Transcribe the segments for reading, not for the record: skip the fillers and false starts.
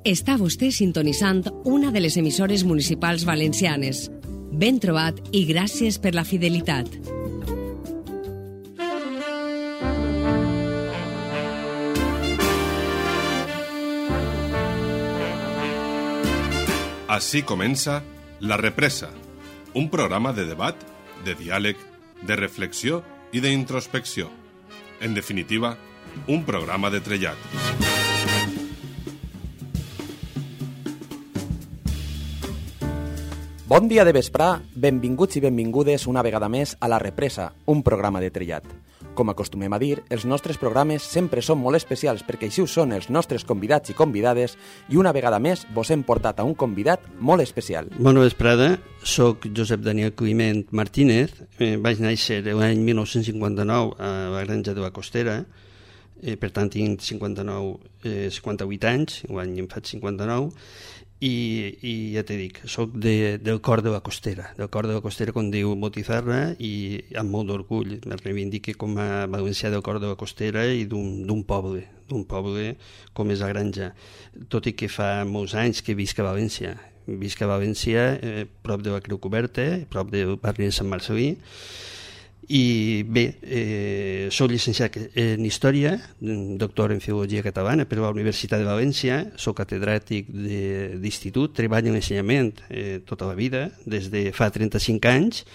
Està vostè sintonitzant una de les emissores municipals valencianes. Ben trobat i gràcies per la fidelitat. Així comença La Represa, un programa de debat, de diàleg, de reflexió i d'introspecció. En definitiva, un programa de trellat. Bon dia de vesprà, benvinguts i benvingudes una vegada més a La Represa, un programa de trellat. Com acostumem a dir, els nostres programes sempre són molt especials perquè així ho són els nostres convidats i convidades i una vegada més vos hem portat a un convidat molt especial. Bona vesprada, soc Josep Daniel Climent Martínez, vaig néixer l'any 1959 a la Granja de la Costera, per tant tinc 58 anys, l'any em faig 59, i ja t'he dit, soc del cor de la Costera, com diu Botizarra, i amb molt d'orgull me reivindique com a valencià del cor de la Costera i d'un poble com és la Granja, tot i que fa molts anys que visc a València. Visc a València, prop de la Creu Coberta, prop del barri de Sant Marcelí. I bé, soc llicenciat en Història, doctor en Filologia Catalana per la Universitat de València, soc catedràtic d'institut, treballo en ensenyament tota la vida, des de fa 35 anys,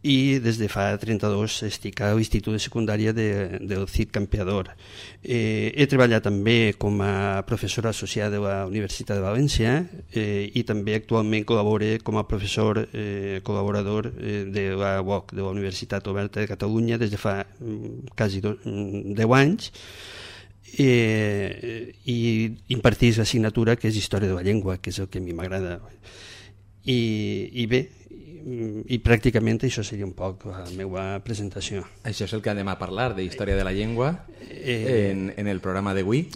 i des de fa 32 estic a l'Institut de Secundària del CID Campeador. He treballat també com a professor associat de la Universitat de València i també actualment col·laboro com a professor col·laborador de la UOC, de la Universitat Oberta de Catalunya, des de fa quasi 10 anys, i impartís l'assignatura que és Història de la Llengua, que és el que a mi m'agrada. I bé, i pràcticament això seria un poc la meva presentació. Això és el que anem a parlar, de Història de la Llengua, en el programa d'avui.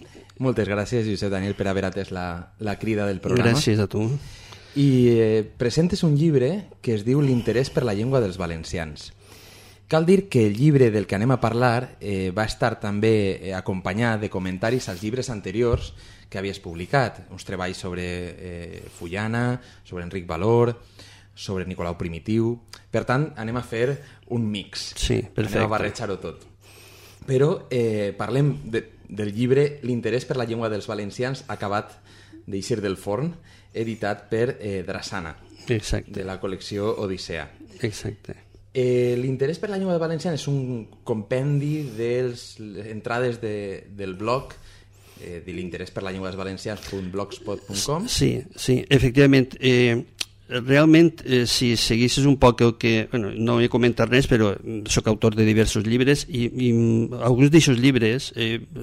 Moltes gràcies, Josep Daniel, per haver atès la crida del programa. Gràcies a tu. I presentes un llibre que es diu L'interès per la llengua dels valencians. Cal dir que el llibre del que anem a parlar va estar també acompanyat de comentaris als llibres anteriors que havies publicat, uns treballs sobre Fullana, sobre Enric Valor, sobre Nicolau Primitiu. Per tant, anem a fer un mix. Sí, perfecte. Anem a barrejar-ho tot. Però parlem del llibre L'interès per la llengua dels valencians, acabat d'eixir del forn, editat per Drassana, exacte, de la col·lecció Odissea. Exacte. L'interès per la llengua dels valencians és un compendi de les entrades del blog de l'interès per la llengua dels valencians.blogspot.com. Sí, efectivament. Realment, si seguissis un poc el que... no he comentat res, però sóc autor de diversos llibres i alguns d'aquests llibres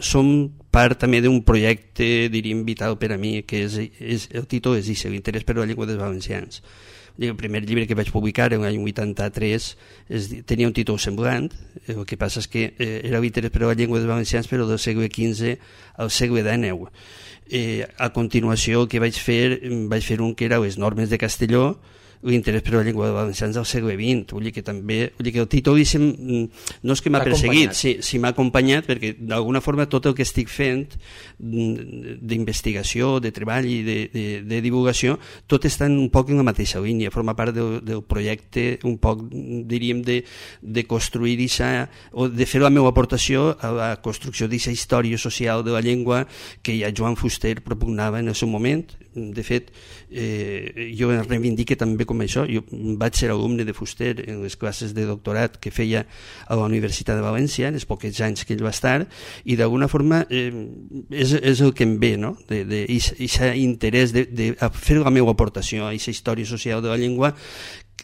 són part també d'un projecte, diríem, vital per a mi, que el títol és L'interès per la llengua dels valencians. El primer llibre que vaig publicar l'any 83 tenia un títol semblant, el que passa és que era L'interès per la llengua dels valencians, però del segle XV al segle XIX. A continuació el que vaig fer un que era les normes de Castelló, l'interès per la llengua dels valencians del segle XX. Vull dir que el títol no és que m'ha perseguit, sí m'ha acompanyat, perquè d'alguna forma tot el que estic fent d'investigació, de treball i de divulgació, tot està un poc en la mateixa línia, forma part del projecte, un poc, diríem, de construir o de fer la meva aportació a la construcció d'aquesta història social de la llengua que ja Joan Fuster propugnava en el seu moment. De fet, jo em reivindique també com això. Jo vaig ser alumne de Fuster en les classes de doctorat que feia a la Universitat de València, en els pocs anys que ell va estar, i d'alguna forma és el que em ve, no? D'aquest interès de fer la meva aportació a aquesta història social de la llengua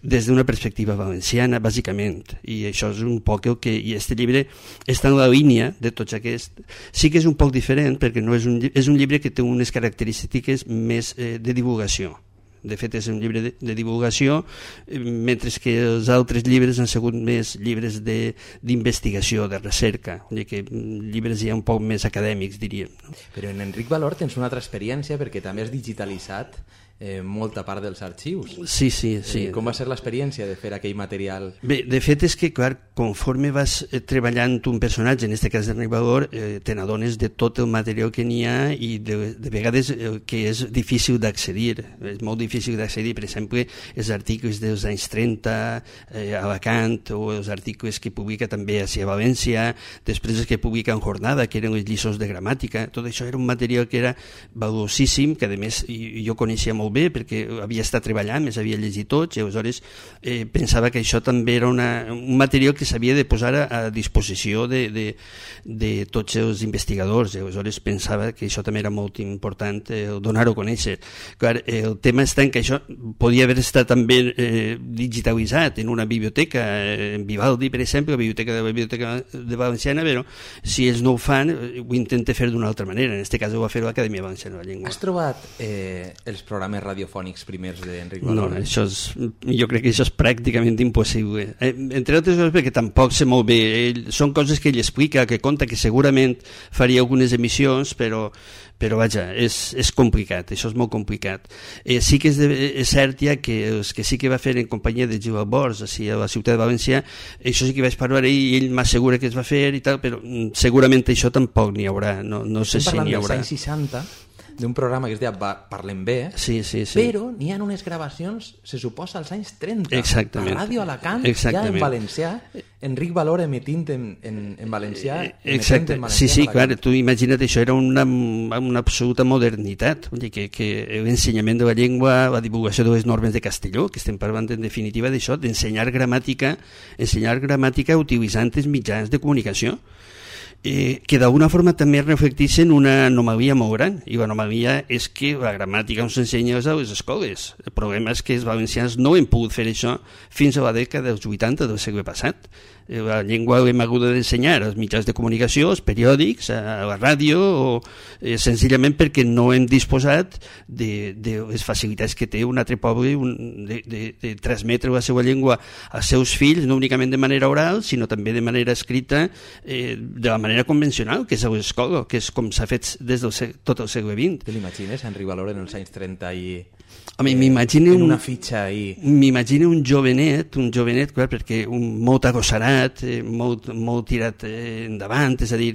des d'una perspectiva valenciana, bàsicament. I això és un poc el que... I aquest llibre està en la línia de tots aquests. Sí que és un poc diferent, perquè és un llibre que té unes característiques més de divulgació. De fet, és un llibre de divulgació, mentre que els altres llibres han sigut més llibres d'investigació, de recerca, llibres ja un poc més acadèmics, diríem. Però en Enric Valor tens una altra experiència, perquè també has digitalitzat molta part dels arxius. Sí. Com va ser l'experiència de fer aquell material? Bé, de fet és que, clar, conforme vas treballant un personatge, en aquest cas de narrador, te n'adones de tot el material que n'hi ha i de vegades que és difícil d'accedir. És molt difícil d'accedir, per exemple, els articles dels anys 30 a Alacant, o els articles que publica també a València, després els que publica en Jornada, que eren les lliçons de gramàtica. Tot això era un material que era valuosíssim, que a més jo coneixia molt bé perquè havia estat treballant, més havia llegit tots, i aleshores pensava que això també era un material que s'havia de posar a disposició de tots els investigadors, i aleshores pensava que això també era molt important donar-ho a conèixer. Clar, el tema està en que això podia haver estat també digitalitzat en una biblioteca, en Vivaldi, per exemple, la Biblioteca de Valenciana, però si ells no ho fan, ho intenta fer d'una altra manera. En aquest cas ho va fer l'Acadèmia Valenciana de la Llengua. Has trobat els programes radiofònics primers d'Enric Valora? No, jo crec que això és pràcticament impossible. Entre altres coses perquè tampoc sé molt bé. Són coses que ell explica, que conta, que segurament faria algunes emissions, però vaja, és complicat, això és molt complicat. Sí que és cert ja que els que sí que va fer en companyia de Gil Albors a la ciutat de València, això sí que vaig parlar i ell m'assegura que es va fer i tal, però segurament això tampoc n'hi haurà, no sé si n'hi haurà. Estem parlant dels anys 60, d'un programa que es deia Parlem Bé, sí. Però n'hi ha unes gravacions, se suposa, als anys 30. Exactament. A Ràdio Alacant, ja en valencià, Enric Valora emetint en valencià. Exacte, sí, clar, tu imagina't, això era una absoluta modernitat, vull dir que l'ensenyament de la llengua, la divulgació de les normes de Castelló, que estem parlant en definitiva d'això, d'ensenyar gramàtica utilitzant els mitjans de comunicació, que d'alguna forma també reflecteixen una anomalia molt gran, i l'anomalia és que la gramàtica no s'ensenya a les escoles. El problema és que els valencians no hem pogut fer això fins a la dècada dels 80 del segle passat. La llengua l'hem hagut d'ensenyar als mitjans de comunicació, als periòdics, a la ràdio, o senzillament perquè no hem disposat de les facilitats que té un altre poble de transmetre la seva llengua als seus fills, no únicament de manera oral, sinó també de manera escrita, de la manera convencional, que és a l'escola, que és com s'ha fet des del tot el segle XX. Te l'imagines, Enric Valora, en els anys 30 i... M'imagino una fitxa ahí. M'imagino un jovenet, clar, perquè molt agossarat, molt tirat endavant, és a dir,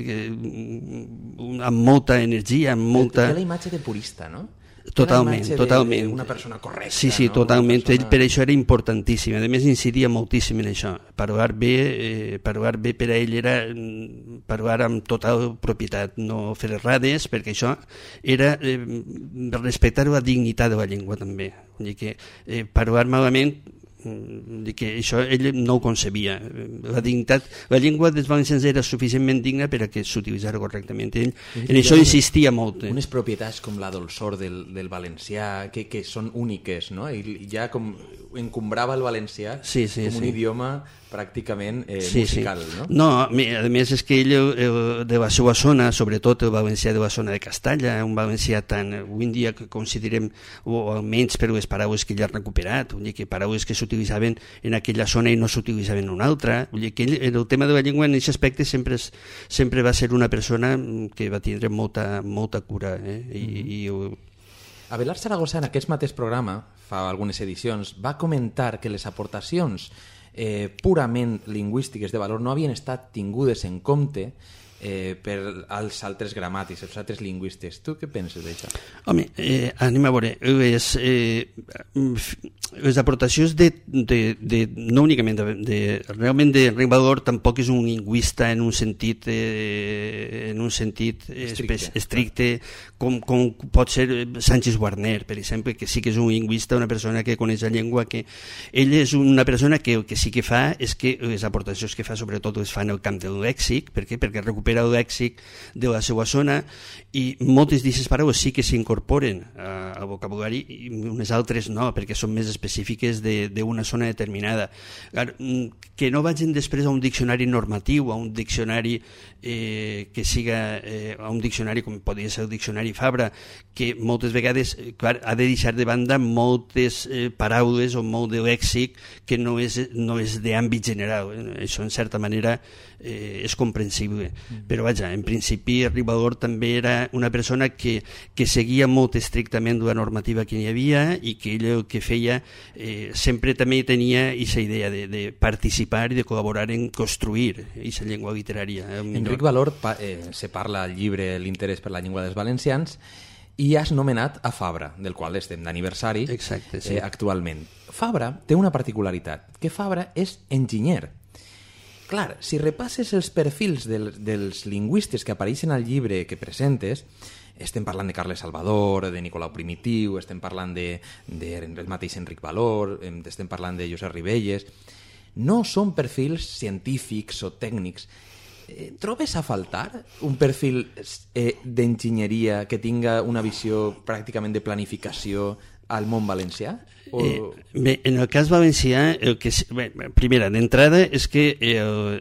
amb molta energia, amb molta... Té la imatge de purista, no? Totalment. Una persona correcta. Sí, no? totalment. Ell per això era importantíssim. A més, incidia moltíssim en això. Parlar bé per a ell era parlar amb total propietat, no fer errades, perquè això era respectar la dignitat de la llengua també. Vull dir que parlar malament, que això ell no ho concebia. La llengua dels valencians era suficientment digna per a que s'utilitzara correctament. Ell en això insistia molt. Unes propietats com la dolçor del valencià que són úniques, no? I ja com encombrava el valencià com un idioma pràcticament musical, no? No, a més és que ell de la seva zona, sobretot el valencià de la zona de Castalla, un valencià tan, avui en dia que considerem, o almenys per les paraules que ell ha recuperat, vull dir que paraules que s'utilitzaven en aquella zona i no s'utilitzaven en una altra, vull dir que ell, en el tema de la llengua en aquest aspecte sempre va ser una persona que va tindre molta cura, Abelard Zaragoza, en aquest mateix programa, fa algunes edicions, va comentar que les aportacions purament lingüístiques de valor no havien estat tingudes en compte per als altres gramàtics, els altres lingüistes. Tu què penses d'això? Home, anem a veure, les aportacions no únicament realment Enric Valor tampoc és un lingüista en un sentit estricte com pot ser Sánchez Guarner, per exemple, que sí que és un lingüista, una persona que coneix la llengua, que ell és una persona que el que sí que fa és que les aportacions que fa sobretot les fa en el camp del lèxic. Per què? Perquè recupera el lèxic de la seva zona i moltes d'aquestes paraules sí que s'incorporen al vocabulari i unes altres no, perquè són més específiques d'una zona determinada. Que no vagin després a un diccionari normatiu, a un diccionari que siga a un diccionari com podria ser el diccionari Fabra, que moltes vegades ha de deixar de banda moltes paraules o molt de lèxic que no és d'àmbit general. Això en certa manera és comprensible. Però vaja, en principi Ribagor també era una persona que seguia molt estrictament la normativa que hi havia i que ell el que feia sempre també tenia aquesta idea de participar i de col·laborar en construir aquesta llengua literària. Enric Valor se parla al llibre L'interès per la llengua dels valencians i has nomenat a Fabra, del qual estem d'aniversari actualment. Fabra té una particularitat, que Fabra és enginyer. Clar, si repasses els perfils dels lingüistes que apareixen al llibre que presentes, estem parlant de Carles Salvador, de Nicolau Primitiu, estem parlant del mateix Enric Valor, estem parlant de Josep Ribelles. No són perfils científics o tècnics. Trobes a faltar un perfil d'enginyeria que tinga una visió pràcticament de planificació al món valencià? Bé, en el cas valencià, primera, d'entrada, és que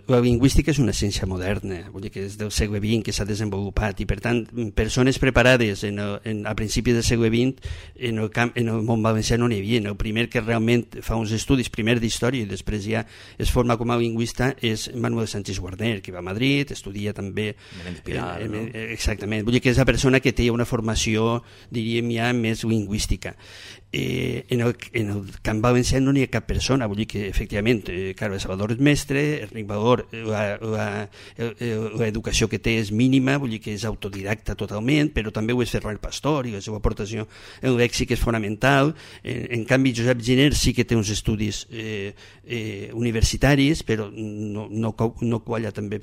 la lingüística és una ciència moderna, vull dir que és del segle XX que s'ha desenvolupat i, per tant, persones preparades a principis del segle XX en el món valencià no n'hi havia. El primer que realment fa uns estudis, primer d'història i després ja es forma com a lingüista, és Manuel Sánchez Guarner, que va a Madrid, estudia també... Exactament, vull dir que és la persona que té una formació, diríem ja, més lingüística. En el camp valencià no n'hi ha cap persona, vull dir que efectivament Carles Salvador és mestre, Enric Valor l'educació que té és mínima, vull dir que és autodidacta totalment, però també ho és Ferran Pastor i la seva aportació en lèxic és fonamental. En canvi Josep Giner sí que té uns estudis universitaris, però no qualla també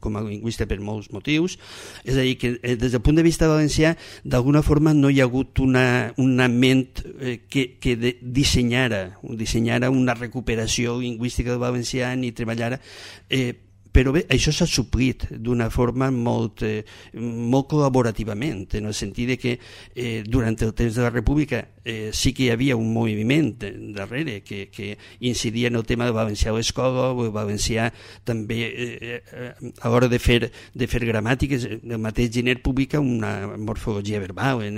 com a lingüista per molts motius. És a dir, que des del punt de vista valencià d'alguna forma no hi ha hagut una ment que dissenyara una recuperació lingüística del valencià ni treballara, però bé, això s'ha suplit d'una forma molt col·laborativament, en el sentit que durant el temps de la República sí que hi havia un moviment darrere que incidia en el tema del valencià a l'escola, o el valencià també a l'hora de fer gramàtiques. El mateix Giner publica una morfologia verbal en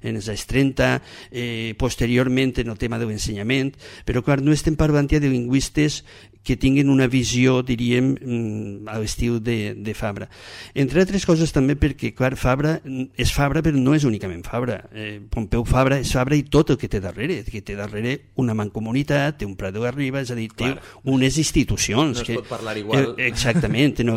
els anys 30, posteriorment en el tema de l'ensenyament, però clar, no estem parlant ja de lingüistes que tinguin una visió, diríem, a l'estil de Fabra. Entre altres coses també perquè, clar, Fabra és Fabra, però no és únicament Fabra. Pompeu Fabra és Fabra i tot el que té darrere, una mancomunitat, té un Prat de la Riba, és a dir, té unes institucions. No es pot parlar igual. Exactament. En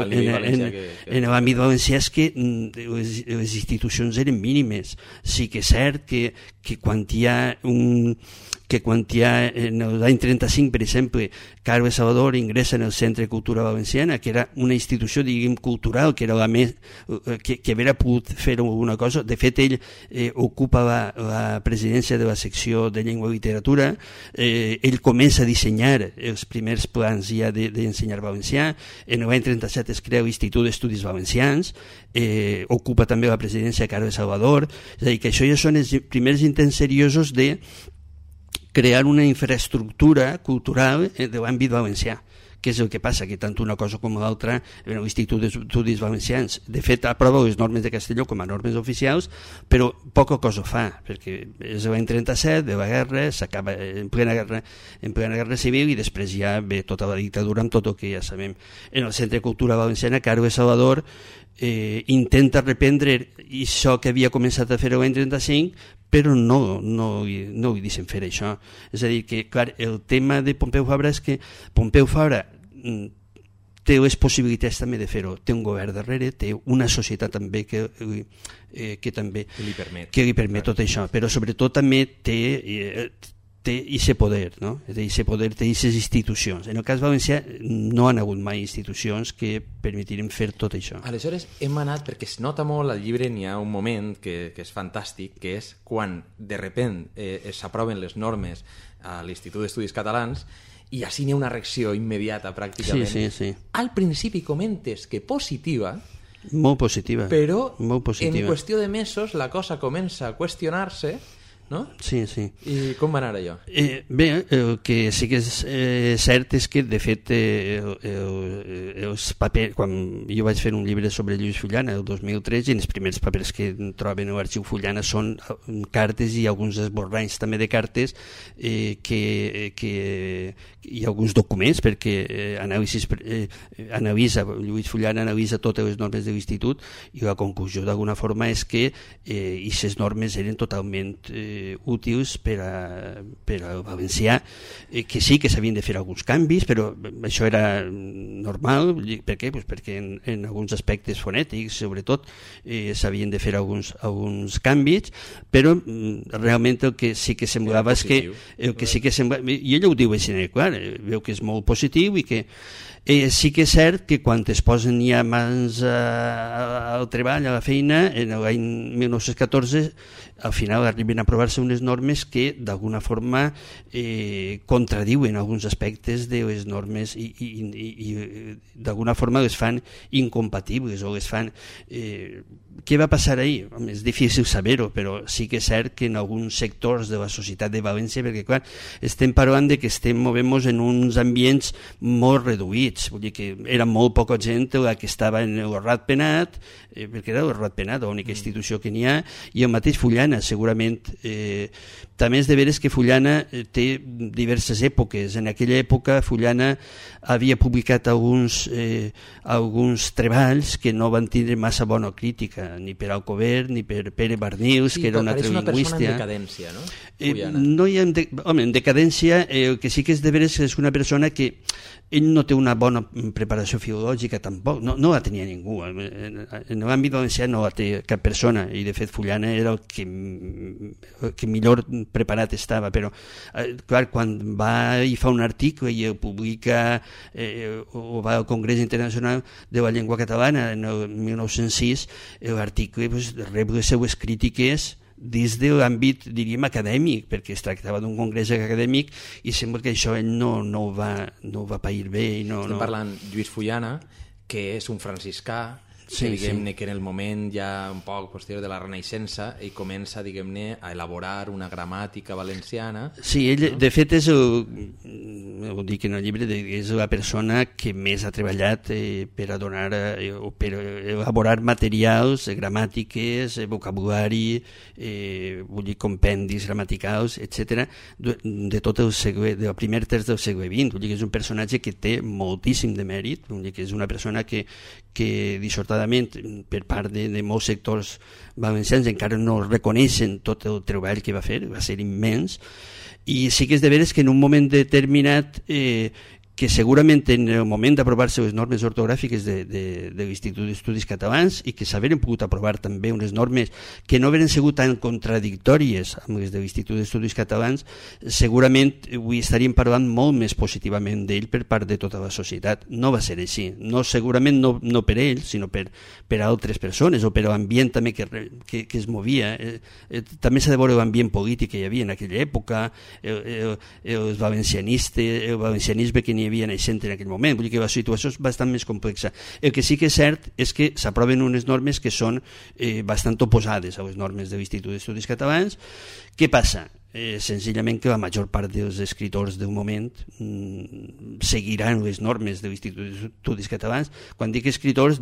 l'àmbit valencià és que les institucions eren mínimes. Sí que és cert que quan hi ha en l'any 35, per exemple, Carles Salvador ingressa en el Centre de Cultura Valenciana, que era una institució, diguem, cultural, que era la més que havia pogut fer alguna cosa. De fet, ell ocupa la presidència de la secció de llengua i literatura, ell comença a dissenyar els primers plans ja d'ensenyar valencià. En l'any 37 es crea l'Institut d'Estudis Valencians, ocupa també la presidència de Carles Salvador. És a dir, que això ja són els primers intents seriosos de crear una infraestructura cultural de l'àmbit valencià, que és el que passa, que tant una cosa com l'altra, l'Institut d'Estudis Valencians, de fet, aprova les normes de Castelló com a normes oficials, però poca cosa fa, perquè és l'any 37, de la guerra, s'acaba en plena guerra civil i després ja ve tota la dictadura amb tot el que ja sabem. En el Centre de Cultura Valenciana, Carles Salvador intenta reprendre això que havia començat a fer l'any 35, però no hi deixen fer això. És a dir, que clar, el tema de Pompeu Fabra és que Pompeu Fabra té les possibilitats també de fer-ho, té un govern darrere, té una societat també que li permet tot això, però sobretot també té aquest poder, no? Aquest poder té aquestes institucions. En el cas valencià no han hagut mai institucions que permetiren fer tot això. Aleshores hem anat, perquè es nota molt al llibre, n'hi ha un moment que és fantàstic, que és quan de repente s'aproven les normes a l'Institut d'Estudis Catalans i així n'hi ha una reacció immediata pràcticament. Sí. Al principi comentes que positiva, molt positiva, però molt positiva. En qüestió de mesos la cosa comença a qüestionar-se no? Sí. I com va anar allò? Bé, el que sí que és cert és que, de fet, els papers, quan jo vaig fer un llibre sobre Lluís Fullana el 2003, i els primers papers que troben a l'arxiu Fullana són cartes i alguns esborranys també de cartes i alguns documents, perquè Lluís Fullana analitza totes les normes de l'institut, i la conclusió d'alguna forma és que aquestes normes eren totalment útils per al valencià, que sí que s'havien de fer alguns canvis, però això era normal. Per què? Pues perquè en alguns aspectes fonètics, sobretot, s'havien de fer alguns canvis, però realment el que sí que semblava és que i ell ho diu així, clar, veu que és molt positiu, i que sí que és cert que quan es posen ja mans al treball, a la feina, en l'any 1914, al final arriben a aprovar-se unes normes que d'alguna forma contradiuen alguns aspectes de les normes i d'alguna forma les fan incompatibles o les fan... Què va passar ahir? És difícil saber-ho, però sí que és cert que en alguns sectors de la societat de València, perquè clar, estem parlant de que estem movent-nos en uns ambients molt reduïts, vull dir que era molt poca gent la que estava en el Ratpenat, perquè era el Ratpenat l'única institució que n'hi ha, i el mateix Fullana, segurament. També és de veres que Fullana té diverses èpoques. En aquella època Fullana havia publicat alguns treballs que no van tindre massa bona crítica, ni per Alcover ni per Pere Barnils, que era un altre lingüista. És una persona en decadència, no? No hi ha en decadència, el que sí que és de veres és una persona que ell no té una bona preparació filològica tampoc, no la tenia ningú, en l'àmbit valencià no la té cap persona, i de fet Fullana era el que millor preparat estava, però clar, quan va i fa un article i el publica o va al Congrés Internacional de la Llengua Catalana en el 1906, l'article rep les seues crítiques dins de l'àmbit, diríem, acadèmic, perquè es tractava d'un congrés acadèmic, i sembla que això ell no ho va pair bé. Estem parlant Lluís Fullana, que és un franciscà, que diguem-ne que en el moment ja un poc posterior de la Renaixença ell comença, diguem-ne, a elaborar una gramàtica valenciana. Sí, ell de fet és ho dic en el llibre, és la persona que més ha treballat per a donar o per elaborar materials, gramàtiques, vocabulari, vull dir, compendis gramaticals, etc., de tot el segle, del primer terç del segle XX. Vull dir que és un personatge que té moltíssim de mèrit, vull dir que és una persona que dissortadament per part de molts sectors valencians encara no reconeixen tot el treball que va fer, va ser immens, i sí que és de veres que en un moment determinat que segurament en el moment d'aprovar-se les normes ortogràfiques de l'Institut d'Estudis Catalans, i que s'haveren pogut aprovar també unes normes que no haveren sigut tan contradictòries amb les de l'Institut d'Estudis Catalans, segurament avui estaríem parlant molt més positivament d'ell per part de tota la societat. No va ser així, segurament no per ell, sinó per altres persones o per l'ambient també que es movia. També s'ha de veure l'ambient polític que hi havia en aquella època, el valencianisme que n'hi havia naixent en aquell moment. Vull dir que la situació és bastant més complexa. El que sí que és cert és que s'aproven unes normes que són bastant oposades a les normes de l'Institut d'Estudis Catalans. Què passa? Senzillament que la major part dels escriptors del moment seguiran les normes de l'Institut d'Estudis Catalans. Quan dic escriptors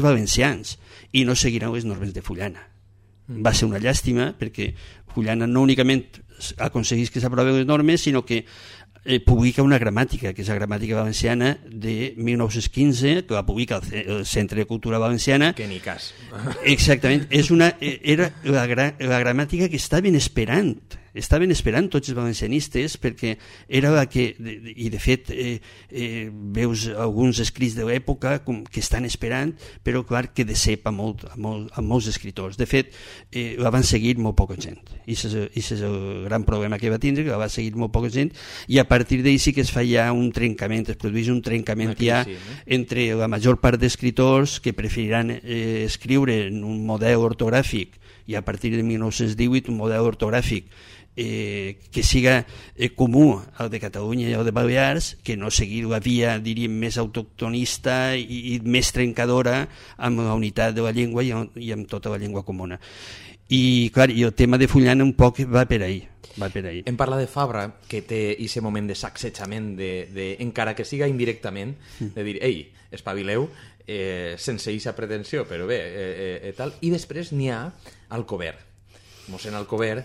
valencians, i no seguiran les normes de Fullana. Va ser una llàstima, perquè Fullana no únicament aconseguís que s'aproven les normes, sinó que publica una gramàtica, que és la gramàtica valenciana de 1915, que va publicar el Centre de Cultura Valenciana. Que ni cas. Exactament. Era la gramàtica que estaven esperant tots els valencianistes, perquè era la que, i de fet veus alguns escrits de l'època que estan esperant, però clar que decep a molts escriptors. De fet, la van seguir molt poca gent, i és el gran problema que va tindre, que la va seguir molt poca gent, i a partir d'ahir sí que es fa ja un trencament, es produeix un trencament ja entre la major part d'escriptors que preferiran escriure en un model ortogràfic, i a partir de 1918 un model ortogràfic que siga comú al de Catalunya i al de Balears, que no seguir la via, diríem, més autoctonista i més trencadora amb la unitat de la llengua i amb tota la llengua comuna. I, clar, i el tema de Fullana un poc va per ahí. Em parla de Fabra, que té aquest moment de sacsejament, encara que siga indirectament, de dir, ei, espavileu, sense eixa pretensió, però bé, tal. I després n'hi ha Alcover. Mossèn Alcover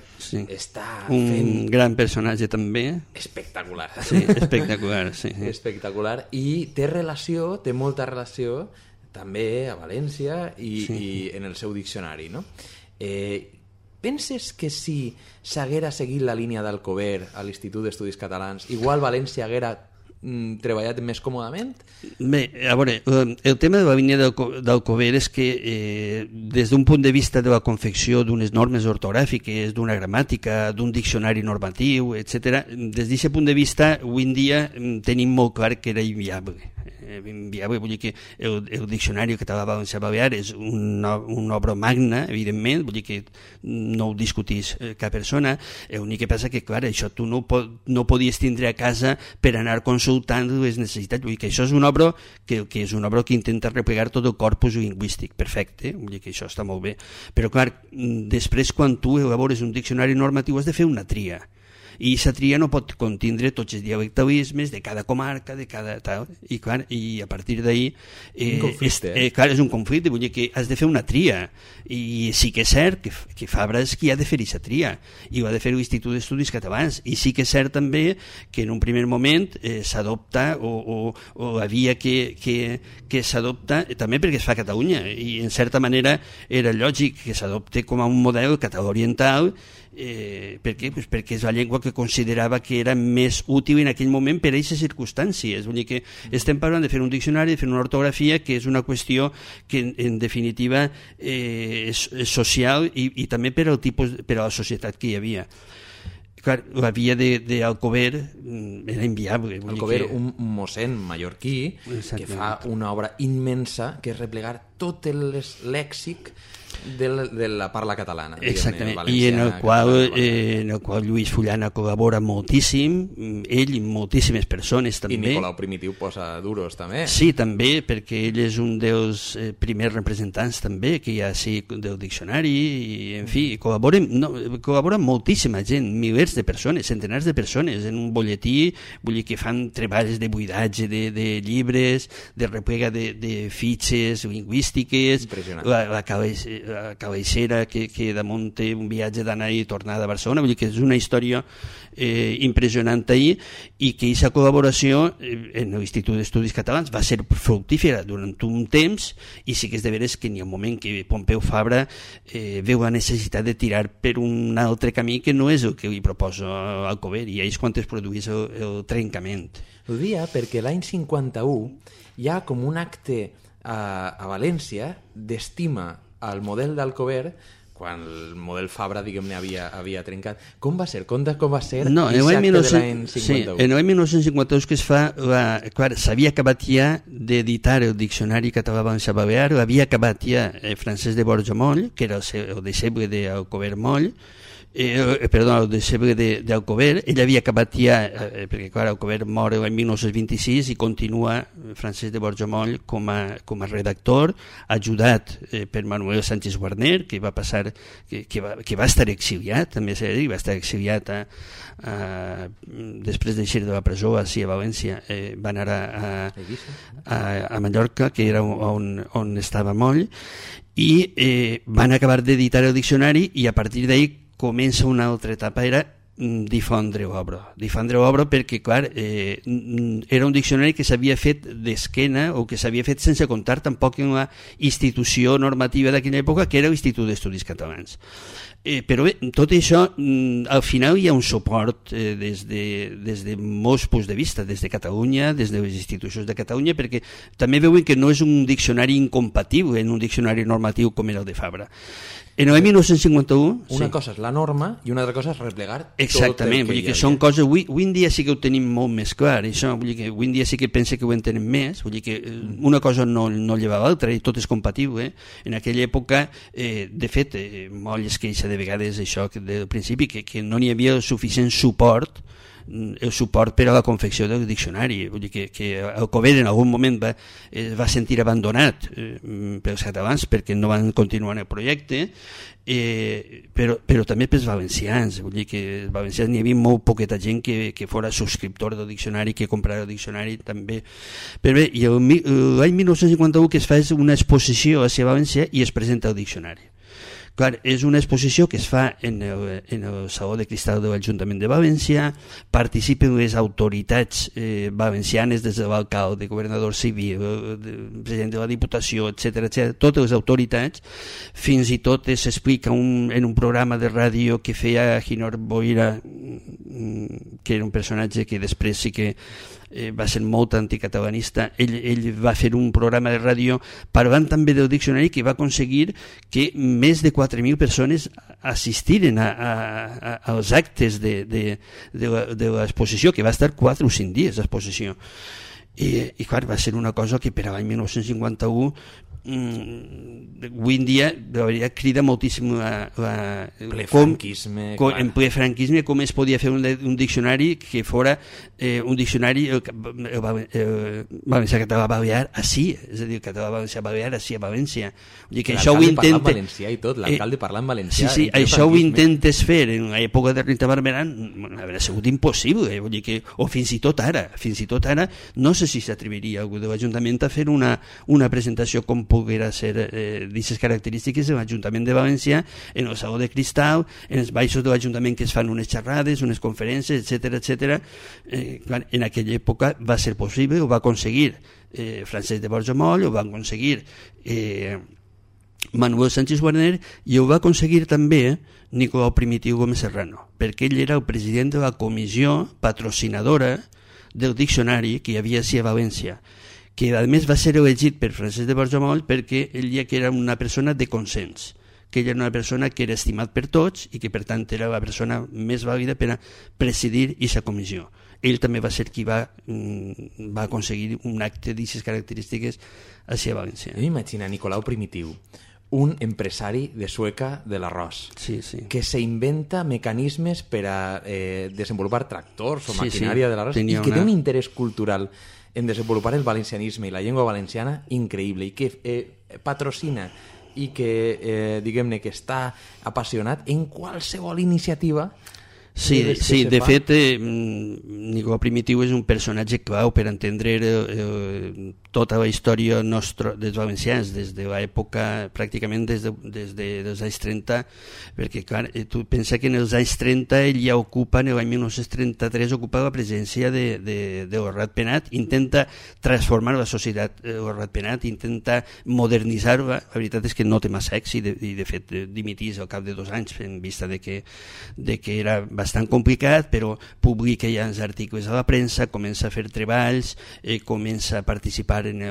està fent... Un gran personatge també. Espectacular. Sí, espectacular, sí. Espectacular. I té molta relació també a València i en el seu diccionari, no? Penses que si s'haguera seguit la línia d'Alcover a l'Institut d'Estudis Catalans, igual València haguera treballat més còmodament? Bé, a veure, el tema de la línia d'Alcover és que des d'un punt de vista de la confecció d'unes normes ortogràfiques, d'una gramàtica, d'un diccionari normatiu, etc., des d'aquest punt de vista, avui en dia tenim molt clar que era inviable. Vull dir que el diccionari català valencià balear és una obra magna, evidentment, vull dir que no ho discutís cap persona. L'únic que passa que, clar, això tu no podies tindre a casa per anar consultant les necessitats. Vull dir que això és una obra que intenta replegar tot el corpus lingüístic, perfecte, vull dir que això està molt bé. Però, clar, després quan tu elabores un diccionari normatiu has de fer una tria. I la tria no pot contindre tots els dialectalismes de cada comarca, de cada tal, i clar, i a partir d'ahir clar, és un conflicte, vull dir que has de fer una tria, i sí que és cert que Fabra és qui ha de fer aquesta tria, i ho ha de fer l'Institut d'Estudis Catalans, i sí que és cert també que en un primer moment s'adopta o la via que s'adopta també perquè es fa a Catalunya, i en certa manera era lògic que s'adopte com a un model català oriental. Per què? Pues perquè és la llengua que considerava que era més útil en aquell moment per a aquestes circumstàncies. Vull dir que estem parlant de fer un diccionari, de fer una ortografia, que és una qüestió que en definitiva és social i també per al tipus, per a la societat que hi havia. Clar, la via d'Alcover era inviable. Alcover, un mossèn mallorquí que fa una obra immensa que és replegar tot el lèxic de la parla catalana. Exactament, i en el qual Lluís Fullana col·labora moltíssim, ell i moltíssimes persones també. I Nicolau Primitiu posa duros també. Sí, també, perquè ell és un dels primers representants també que hi ha del diccionari, i en fi, col·labora moltíssima gent, milers de persones, centenars de persones en un butlletí, vull dir que fan treballs de buidatge de llibres, de replega de fitxes lingüístiques, la cabecera que damunt té un viatge d'anar i tornada a Barcelona, vull dir que és una història impressionant ahir, i que aquesta col·laboració en l'Institut d'Estudis Catalans va ser fructífera durant un temps, i sí que és de veres que n'hi ha un moment que Pompeu Fabra veu la necessitat de tirar per un altre camí que no és el que li proposa Alcover, i és quan es produeix el trencament. Ho dia perquè l'any 51 hi ha com un acte a València d'estima al model d'Alcover quan el model Fabra, diguem-ne, havia trencat. Com va ser? Com va ser l'acte de l'any 51? Sí, en l'any 1952 que es fa, clar, s'havia acabat ja d'editar el Diccionari Català-Valencià Balear, l'havia acabat ja Francesc de Borja Moll, que era el deixeble d'Alcover Moll, el deixeble d'Alcover. Ell havia acabat ja, perquè clar, Alcover mor l'any 1926 i continua Francesc de Borja Moll com a redactor, ajudat per Manuel Sánchez Guarner, que va passar, que va estar exiliat, també s'ha de dir, va estar exiliat després d'eixir de la presó a València, va anar a Mallorca, que era on estava Moll, i van acabar d'editar el diccionari, i a partir d'ahir comença una altra etapa, era difondre obra perquè, clar, era un diccionari que s'havia fet d'esquena o que s'havia fet sense comptar tampoc en la institució normativa d'aquella època, que era l'Institut d'Estudis Catalans. Però bé, tot això, al final hi ha un suport des de molts punts de vista, des de Catalunya, des de les institucions de Catalunya, perquè també veuen que no és un diccionari incompatible en un diccionari normatiu com era el de Fabra. En l'any 1951... Una cosa és la norma i una altra cosa és replegar exactament, tot el vull dir que són coses... Avui en dia sí que ho tenim molt més clar, això, vull dir que avui en dia sí que pense que ho entenem més, vull dir que una cosa no lleva l'altra i tot és compatible. En aquella època, de fet, molt es queixa de vegades això del principi, que no n'hi havia suficient suport per a la confecció del diccionari. Vull dir que el Cover en algun moment va sentir abandonat pels catalans perquè no van continuar el projecte, però també pels valencians. Vull dir que els valencians n'hi havia molt poqueta gent que fora subscriptor del diccionari, que comprara el diccionari també. Però bé, i l'any 1951 que es fa és una exposició a València i es presenta el diccionari. Clar, és una exposició que es fa en el Saló de Cristal de l'Ajuntament de València, participen les autoritats valencianes, des de l'alcalde, governador civil, president de la Diputació, etc, totes les autoritats, fins i tot s'explica en un programa de ràdio que feia Ginor Boira, que era un personatge que després sí que va ser molt anticatalanista. Ell va fer un programa de ràdio parlant també del diccionari que va aconseguir que més de 4.000 persones assistiren als actes de l'exposició, que va estar 4 o 5 dies d'exposició. I clar, va ser una cosa que per a l'any 1951 avui en dia la veritat crida moltíssim en ple franquisme com es podia fer un diccionari que fora un diccionari valencià-català balear així, és a dir, català valencià balear així a València. L'alcalde parla en valencià i tot, l'alcalde parla en valencià. Sí, això ho intentes fer en l'època de Rita Barberà, hauria sigut impossible, vull dir que, o fins i tot ara, no sé si s'atreviria algú de l'Ajuntament a fer una presentació com poguera ser d'aquestes característiques de l'Ajuntament de València, en el Saló de Cristal, en els baixos de l'Ajuntament que es fan unes xerrades, unes conferències, etc. En aquella època va ser possible, ho va aconseguir Francesc de Borja Moll, ho va aconseguir Manuel Sánchez Guarner i ho va aconseguir també Nicolau Primitiu Gómez Serrano, perquè ell era el president de la comissió patrocinadora del diccionari que hi havia a València, que a més va ser elegit per Francesc de Borja Moll perquè ell ja que era una persona de consens, que ell era una persona que era estimat per tots i que per tant era la persona més vàlida per a presidir aquesta comissió. Ell també va ser qui va aconseguir un acte d'aquestes característiques a València. Jo m'imagino Nicolau Primitiu, un empresari de Sueca de l'arròs, que s'inventa mecanismes per a desenvolupar tractors o maquinària de l'arròs i que té un interès cultural en desenvolupar el valencianisme i la llengua valenciana increïble i que patrocina i que, diguem-ne, que està apassionat en qualsevol iniciativa. Sí, de fet, Nicolau Primitiu és un personatge clau per entendre tota la història nostra dels valencians, des de l'època, pràcticament des dels anys 30, perquè, clar, tu pensa que en els anys 30 ell ja ocupa, en l'any 1933, ocupa la presència de Ratpenat, intenta transformar la societat Ratpenat, intenta modernitzar-la. La veritat és que no té massa èxit i, de fet, dimitís al cap de 2 anys en vista de que era bastant complicat, però publica ja els articles a la premsa, comença a fer treballs, comença a participar en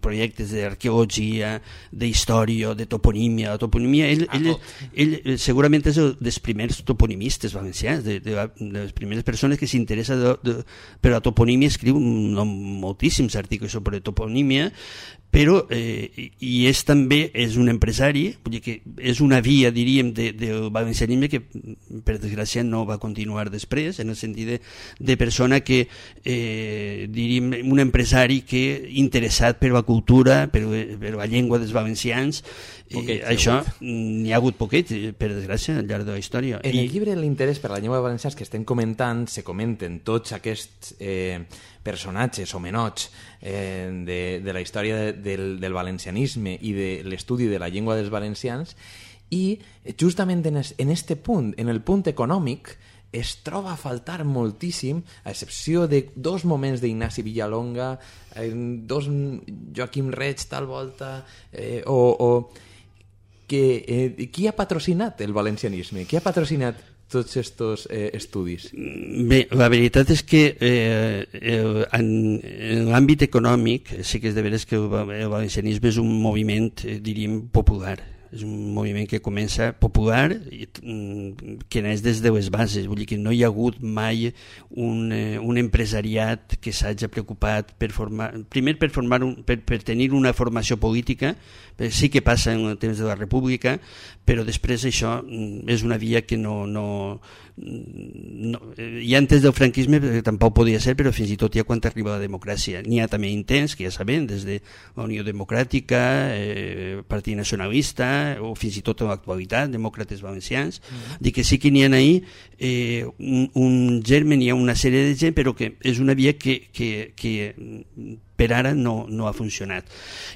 projectes d'arqueologia, d'història, de toponímia. La toponímia, ell segurament és dels primers toponimistes valencians, de les primeres persones que s'interessa per la toponímia, escriu moltíssims articles sobre toponímia, però i és un empresari, vull dir que és una via, diríem, del valencianisme que per desgràcia no va continuar després, en el sentit de persona que, diríem, un empresari que interessat per la cultura, per la llengua dels valencians, això n'hi ha hagut poquet, per desgràcia, al llarg de la història. En el llibre L'interès per la llengua valenciana que estem comentant, se comenten tots aquests personatges, homenots, de la història del valencianisme i de l'estudi de la llengua dels valencians, i justament en este punt, en el punt econòmic, es troba a faltar moltíssim, a excepció de 2 moments d'Ignasi Villalonga, 2 Joaquim Reig tal volta, qui ha patrocinat el valencianisme? Qui ha patrocinat tots aquests estudis? Bé, la veritat és que en l'àmbit econòmic sí que és de veres que el valencianisme és un moviment, diríem, popular. és un moviment que comença popular, que neix des de les bases, vull dir que no hi ha hagut mai un empresariat que s'hagi preocupat per formar, primer per tenir una formació política, sí que passa en el temps de la República, però després això és una via que no ja antes del franquisme tampoc podia ser, però fins i tot ja quan arriba la democràcia n'hi ha també intents, que ja sabem, des de la Unió Democràtica, Partit Nacionalista, o fins i tot en l'actualitat, Demòcrates Valencians, dir que sí que n'hi ha ahir un germen, hi ha una sèrie de gent, però que és una via que per ara no ha funcionat.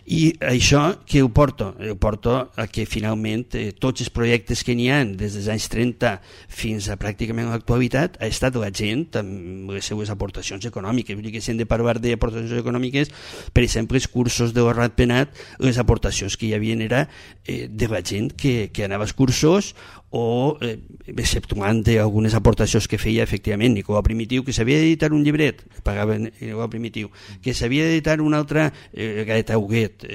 I això que ho porto? Ho porto a que finalment tots els projectes que n'hi ha des dels anys 30 fins a pràcticament l'actualitat ha estat la gent amb les seues aportacions econòmiques. Vull dir que si hem de parlar d'aportacions econòmiques, per exemple, els cursos de Rat Penat, les aportacions que hi havia era de la gent que anava als cursos, o exceptuant algunes aportacions que feia efectivament Nicolau Primitiu, que s'havia d'editar un llibret, pagaven Nicolau Primitiu, que s'havia d'editar un altre Gaeta Huguet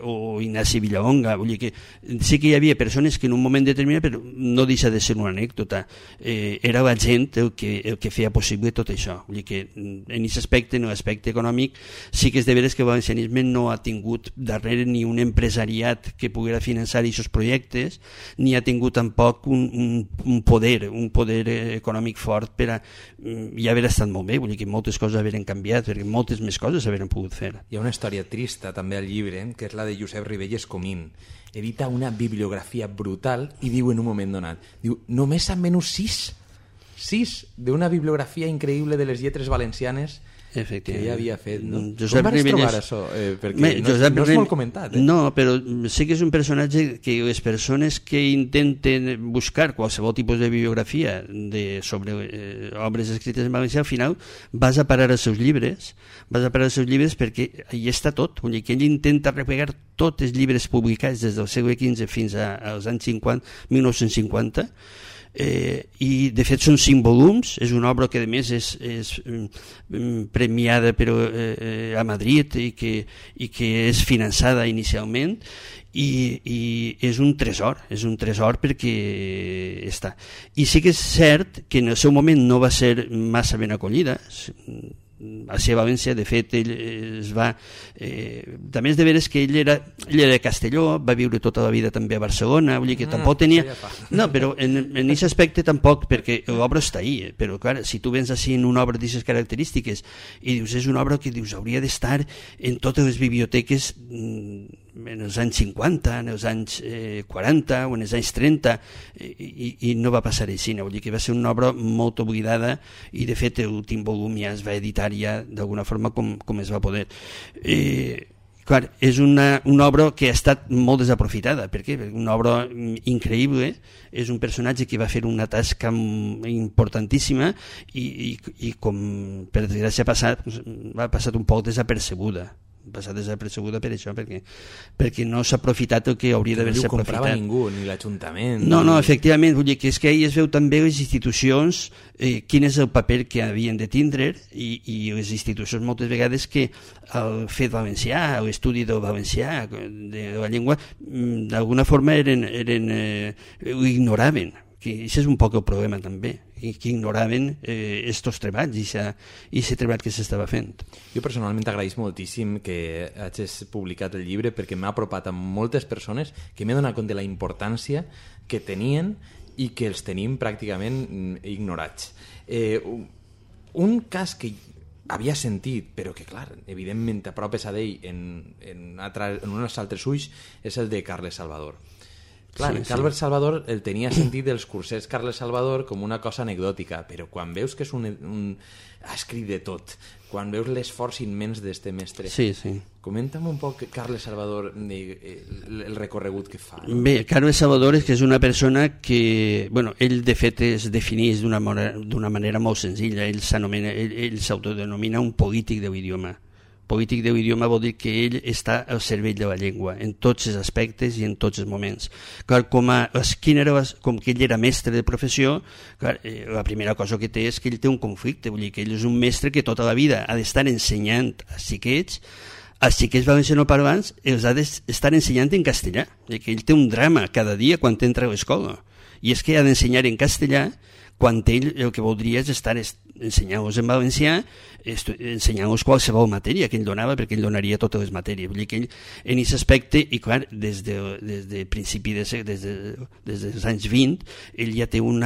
o Ignasi Villalonga. Vull dir que sí que hi havia persones que en un moment determinat, però no deixa de ser una anècdota, era la gent el que feia possible tot això. Vull dir que en aquest aspecte, en l'aspecte econòmic, sí que és de veres que el valencianisme no ha tingut darrere ni un empresariat que poguera finançar aquests projectes, ni ha tingut tampoc un poder econòmic fort per a ja haver estat molt bé. Vull dir que moltes coses haveren canviat, perquè moltes més coses s'haveren pogut fer. Hi ha una història trista també al llibre, que és la de Josep Ribelles Comín. Edita una bibliografia brutal i diu en un moment donat, diu, només amb menys 6 d'una bibliografia increïble de les lletres valencianes que ja havia fet, no? Com vas trobar això? Perquè no és molt comentat. No, però sí que és un personatge que les persones que intenten buscar qualsevol tipus de bibliografia sobre obres escrites en valencià, al final vas a parar als seus llibres, perquè hi està tot. Vull dir que ell intenta replegar tots els llibres publicats des del segle XV fins als anys 1950, i de fet són 5 volums. És una obra que a més és premiada a Madrid i que és finançada inicialment, i és un tresor perquè està. I sí que és cert que en el seu moment no va ser massa ben acollida a ser València. De fet, ell es va també és de veres que ell era de Castelló, va viure tota la vida també a Barcelona, vull dir que tampoc tenia no, però en aquest aspecte tampoc, perquè l'obra està ahí, però clar, si tu vens així en una obra d'aquestes característiques i dius, és una obra que dius hauria d'estar en totes les biblioteques en els anys 50, en els anys 40 o en els anys 30, i no va passar així. Vull dir que va ser una obra molt oblidada, i de fet l'últim volum ja es va editar ja d'alguna forma com es va poder. Clar, és una obra que ha estat molt desaprofitada. Per què? Perquè una obra increïble, és un personatge que va fer una tasca importantíssima i com per desgràcia ha passat un poc desapercebuda. Per això, perquè no s'ha aprofitat el que hauria d'haver-se aprofitat. No ho comprava ningú, ni l'Ajuntament. No, efectivament, vull dir que és que ahí es veu també les institucions, quin és el paper que havien de tindre, i les institucions moltes vegades que el fet valencià, l'estudi del valencià, de la llengua, d'alguna forma ho ignoraven. Això és un poc el problema també, que ignoraven estos treballs i aquest treball que s'estava fent. Jo personalment t'agraïs moltíssim que hagis publicat el llibre, perquè m'ha apropat a moltes persones que m'he donat compte de la importància que tenien i que els tenim pràcticament ignorats. Un cas que havia sentit, però que clar, evidentment t'apropes a ell en uns altres ulls, és el de Carles Salvador. Clar, sí. Carles Salvador el tenia sentit dels cursets Carles Salvador com una cosa anecdòtica, però quan veus que és ha escrit de tot, quan veus l'esforç immens d'este mestre, comenta'm un poc Carles Salvador, el recorregut que fa. Bé, Carles Salvador és una persona que, ell de fet es defineix d'una manera molt senzilla. Ell s'autodenomina un polític de l'idioma. Polític de l'idioma vol dir que ell està al servei de la llengua en tots els aspectes i en tots els moments. Clar, com que ell era mestre de professió, clar, la primera cosa que té és que ell té un conflicte. Vull dir que ell és un mestre que tota la vida ha d'estar ensenyant a xiquets als xiquets valencianoparlants els ha d'estar ensenyant en castellà, que ell té un drama cada dia quan entra a l'escola, i és que ha d'ensenyar en castellà quan ell el que voldria és estar ensenyant-los en valencià, ensenyant-los qualsevol matèria que ell donava, perquè ell donaria totes les matèries. Vull dir que ell, en aquest aspecte, i clar, des de principi des dels anys 20, ell ja té un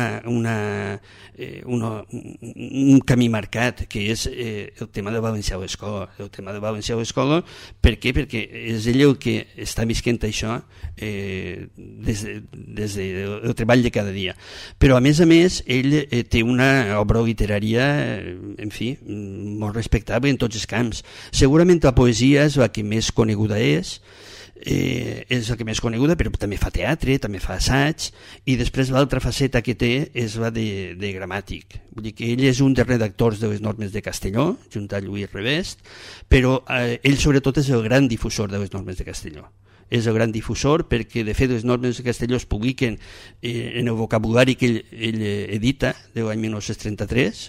camí marcat, que és el tema de valencià a l'escola. El tema de valencià a l'escola, per què? Perquè és ell el que està visquent això des del treball de cada dia. Però, a més, ell té una obra literària, en fi, molt respectable en tots els camps. Segurament la poesia és la que més coneguda és la que més coneguda, però també fa teatre, també fa assaig, i després l'altra faceta que té és la de gramàtic. Vull dir que ell és un dels redactors de les normes de Castelló, junt a Lluís Revest, però ell sobretot és el gran difusor de les normes de Castelló. És el gran difusor perquè, de fet, les normes de Castelló es publiquen en el vocabulari que ell edita de l'any 1933,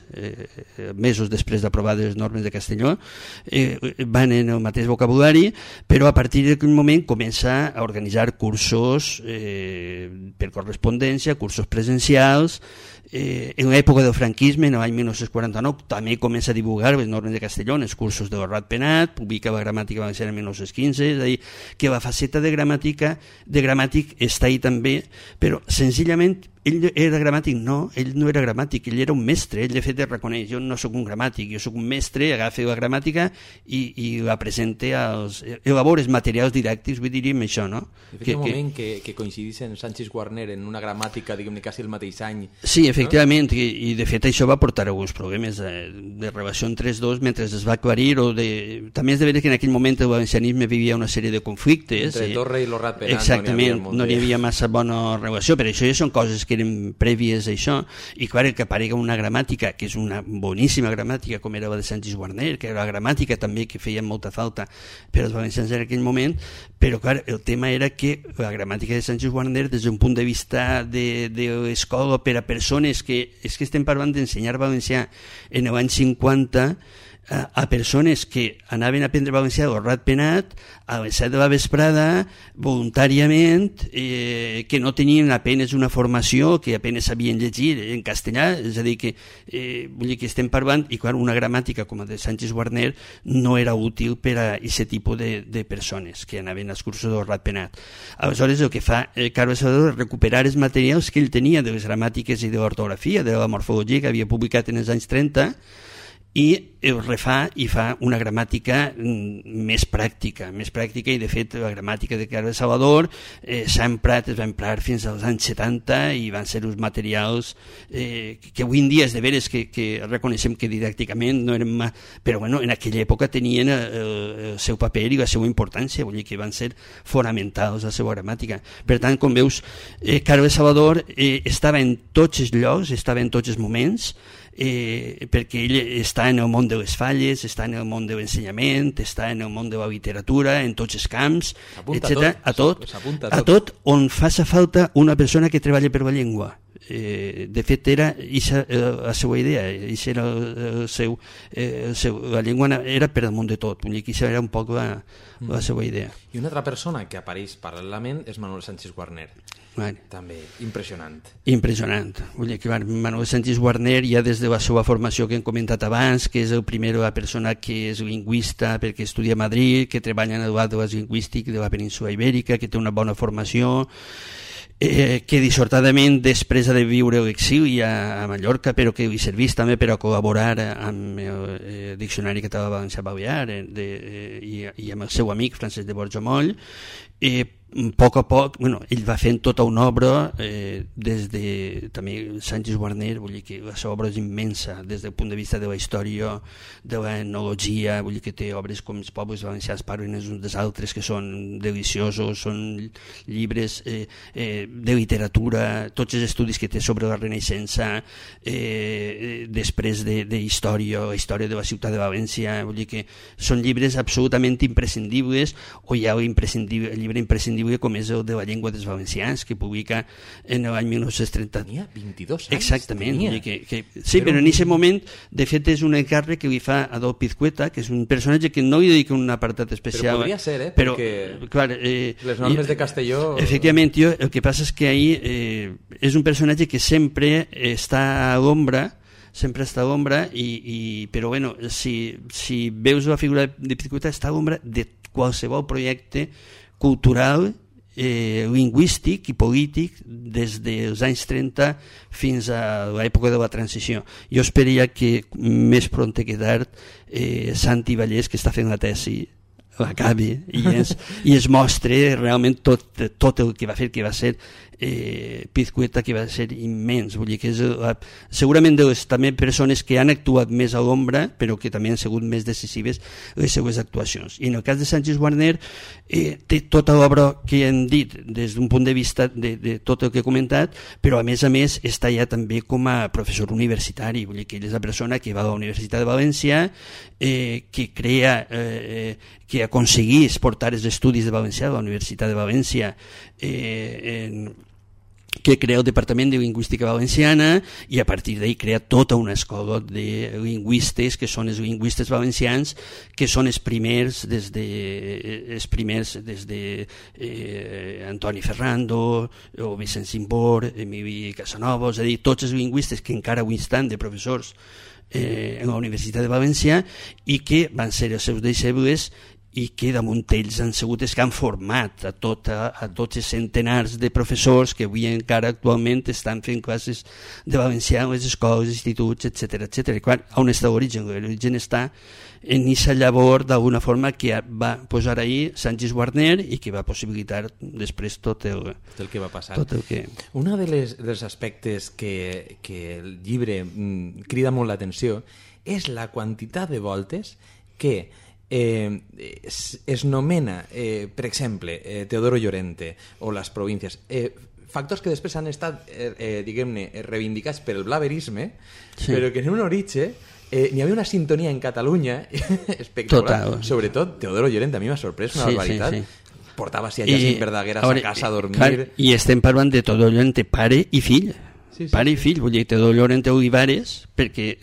mesos després d'aprovar les normes de Castelló, van en el mateix vocabulari, però a partir d'aquell moment comença a organitzar cursos per correspondència, cursos presencials. En l'època del franquisme, en l'any 1949, també comença a divulgar les normes de Castelló en els cursos de Rat Penat, publica la gramàtica valenciana en 1915, és a dir, que la faceta de gramàtic està ahí també, però senzillament ell era gramàtic? No, ell no era gramàtic, ell era un mestre, ell de fet reconeix, jo no sóc un gramàtic, jo sóc un mestre, agafa la gramàtica i la presenta elabora els materials didàctics, vull dir això, no? De fet, un moment que coincidissin Sánchez Guarner en una gramàtica, diguem-ne, quasi el mateix any. Sí, efectivament, no? I de fet això va portar alguns problemes de relació entre els dos mentre es va aclarir, també és de veure que en aquell moment el valencianisme vivia una sèrie de conflictes. Entre Torre i l'Orrat Penat. Exactament, no hi havia massa bona relació, però això ja són coses que eren prèvies a això, i clar, que aparega una gramàtica, que és una boníssima gramàtica, com era la de Sánchez Guarner, que era la gramàtica també que feia molta falta per als valencians en aquell moment, però clar, el tema era que la gramàtica de Sánchez Guarner, des d'un punt de vista de l'escola per a persones que, és que estem parlant d'ensenyar valencià en l'any 50, a persones que anaven a aprendre valencià a l'Orrat Penat a les 7 de la vesprada voluntàriament, que no tenien apenes una formació, que apenes sabien llegir en castellà, és a dir que vull dir que estem parlant, i clar, una gramàtica com la de Sánchez Guarner no era útil per a aquest tipus de persones que anaven als cursos d'Orrat Penat. Aleshores el que fa Carles Salvador és recuperar els materials que ell tenia de les gramàtiques i de l'ortografia, de la morfologia que havia publicat en els anys 30, i el refà i fa una gramàtica més pràctica, i de fet la gramàtica de Carles Salvador es va emprar fins als anys 70 i van ser uns materials que avui en dia és de veres que reconeixem que didàcticament no eren però bueno, en aquella època tenien el seu paper i la seva importància, vull dir que van ser fonamentals a la seva gramàtica. Per tant, com veus, Carles Salvador estava en tots els llocs, estava en tots els moments, perquè ell està en el món de les falles, està en el món de l'ensenyament, està en el món de la literatura, en tots els camps, etc. A tot on faça falta una persona que treballa per la llengua. De fet era la seva idea, la llengua era per damunt de tot, vull dir que això era un poc la seva idea. I una altra persona que apareix paral·lelament és Manuel Sánchez Guarner. També impressionant. Vull dir que Manuel Sánchez Guarner, ja des de la seva formació que hem comentat abans, que és el primer la persona que és lingüista perquè estudia a Madrid, que treballa en el Atles Lingüístic de la península Ibèrica, que té una bona formació, que dissortadament després ha de viure a l'exili a Mallorca, però que li serveix també per a col·laborar amb el Diccionari Català Valencià Balear i amb el seu amic Francesc de Borjomoll. A poc a poc, ell va fent tota una obra des de també Sánchez Guarner, vull dir que la seva obra és immensa des del punt de vista de la història, de l'etnologia, vull dir que té obres com Els pobles valencians parlen els uns dels altres, que són deliciosos, són llibres de literatura, tots els estudis que té sobre la Renaixença, després de història, la història de la ciutat de València, vull dir que són llibres absolutament imprescindibles, o hi ha el llibre imprescindible llibre com és el de la llengua dels valencians, que publica en l'any 1930. Tenia 22 anys. Exactament. Sí, però en aquest moment, de fet, és un encàrrec que li fa Adolf Pizcueta, que és un personatge que no li dedica un apartat especial. Però podria ser, però, perquè clar, les normes de Castelló... Efectivament, el que passa és que ahir és un personatge que sempre està a l'ombra, però bueno, si veus la figura de Pizcueta, està a l'ombra de qualsevol projecte cultural, lingüístic i polític des dels anys 30 fins a l'època de la transició. Jo esperaria que més pront que tard Santi Vallès, que està fent la tesi, l'acabi i es mostre realment tot el que va fer, que va ser Pizcueta, que va ser immens. Vull dir que és segurament de les també persones que han actuat més a l'ombra, però que també han sigut més decisives les seues actuacions. I en el cas de Sanchis Guarner té tota l'obra que hem dit des d'un punt de vista de tot el que he comentat, però a més està ja també com a professor universitari. Vull dir que ell és la persona que va a la Universitat de València, que crea que aconseguís portar els estudis de valencià a la Universitat de València, que crea el Departament de Lingüística Valenciana, i a partir d'ahí crea tota una escola de lingüistes, que són els lingüistes valencians, que són els primers des de Antoni Ferrando o Vicent Simbor, Emili Casanova, és a dir, tots els lingüistes que encara avui estan de professors en la Universitat de València i que van ser els seus deixebles, i que damunt ells han sigut els que han format a tots els centenars de professors que avui encara actualment estan fent classes de valencià en les escoles, instituts, etc. I clar, on està l'origen? L'origen està en aquesta llavor d'alguna forma que va posar ahir Sanchis Guarner i que va possibilitar després tot el que va passar. Un dels aspectes que el llibre crida molt l'atenció és la quantitat de voltes que es nomena, per exemple, Teodoro Llorente o les províncies, factors que després han estat, diguem-ne, reivindicats per el blaverisme, però que en un origen n'hi havia una sintonia en Catalunya espectacular. Sobretot Teodoro Llorente, a mi m'ha sorprès una barbaritat. Portava si a Jacint Verdaguer a sa casa a dormir. I estem parlant de Teodoro Llorente, pare i fill. Pare i fill, vull dir, Teodoro Llorente Olivares, perquè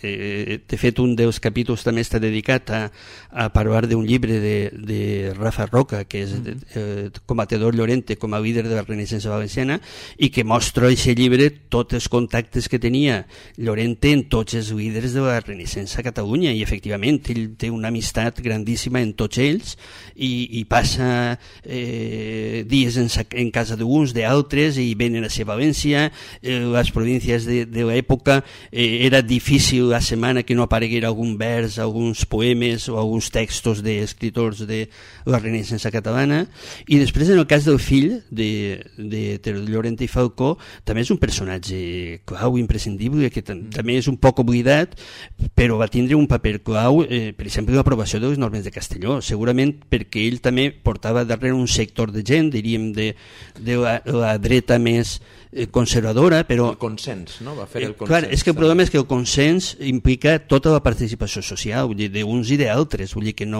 de fet un dels capítols també està dedicat a parlar d'un llibre de Rafa Roca, que és com a Teodoro Llorente, com a líder de la Renaixença Valenciana, i que mostra a aquest llibre tots els contactes que tenia Llorente en tots els líders de la Renaixença a Catalunya, i efectivament ell té una amistat grandíssima en tots ells, i passa dies en casa d'uns, d'altres, i venen a ser València. Les províncies de l'època era difícil la setmana que no apareguera algun vers, alguns poemes o alguns textos d'escriptors de la Renaixença catalana. I després, en el cas del fill de Teodoro Llorente i Falcó, també és un personatge clau, imprescindible, que també és un poc oblidat, però va tindre un paper clau, per exemple, l'aprovació de les normes de Castelló, segurament perquè ell també portava darrere un sector de gent, diríem, de la dreta més conservadora, però... El consens, no? Va fer el consens. Clar, és que el problema és que el consens implica tota la participació social, vull dir, d'uns i d'altres, vull dir que el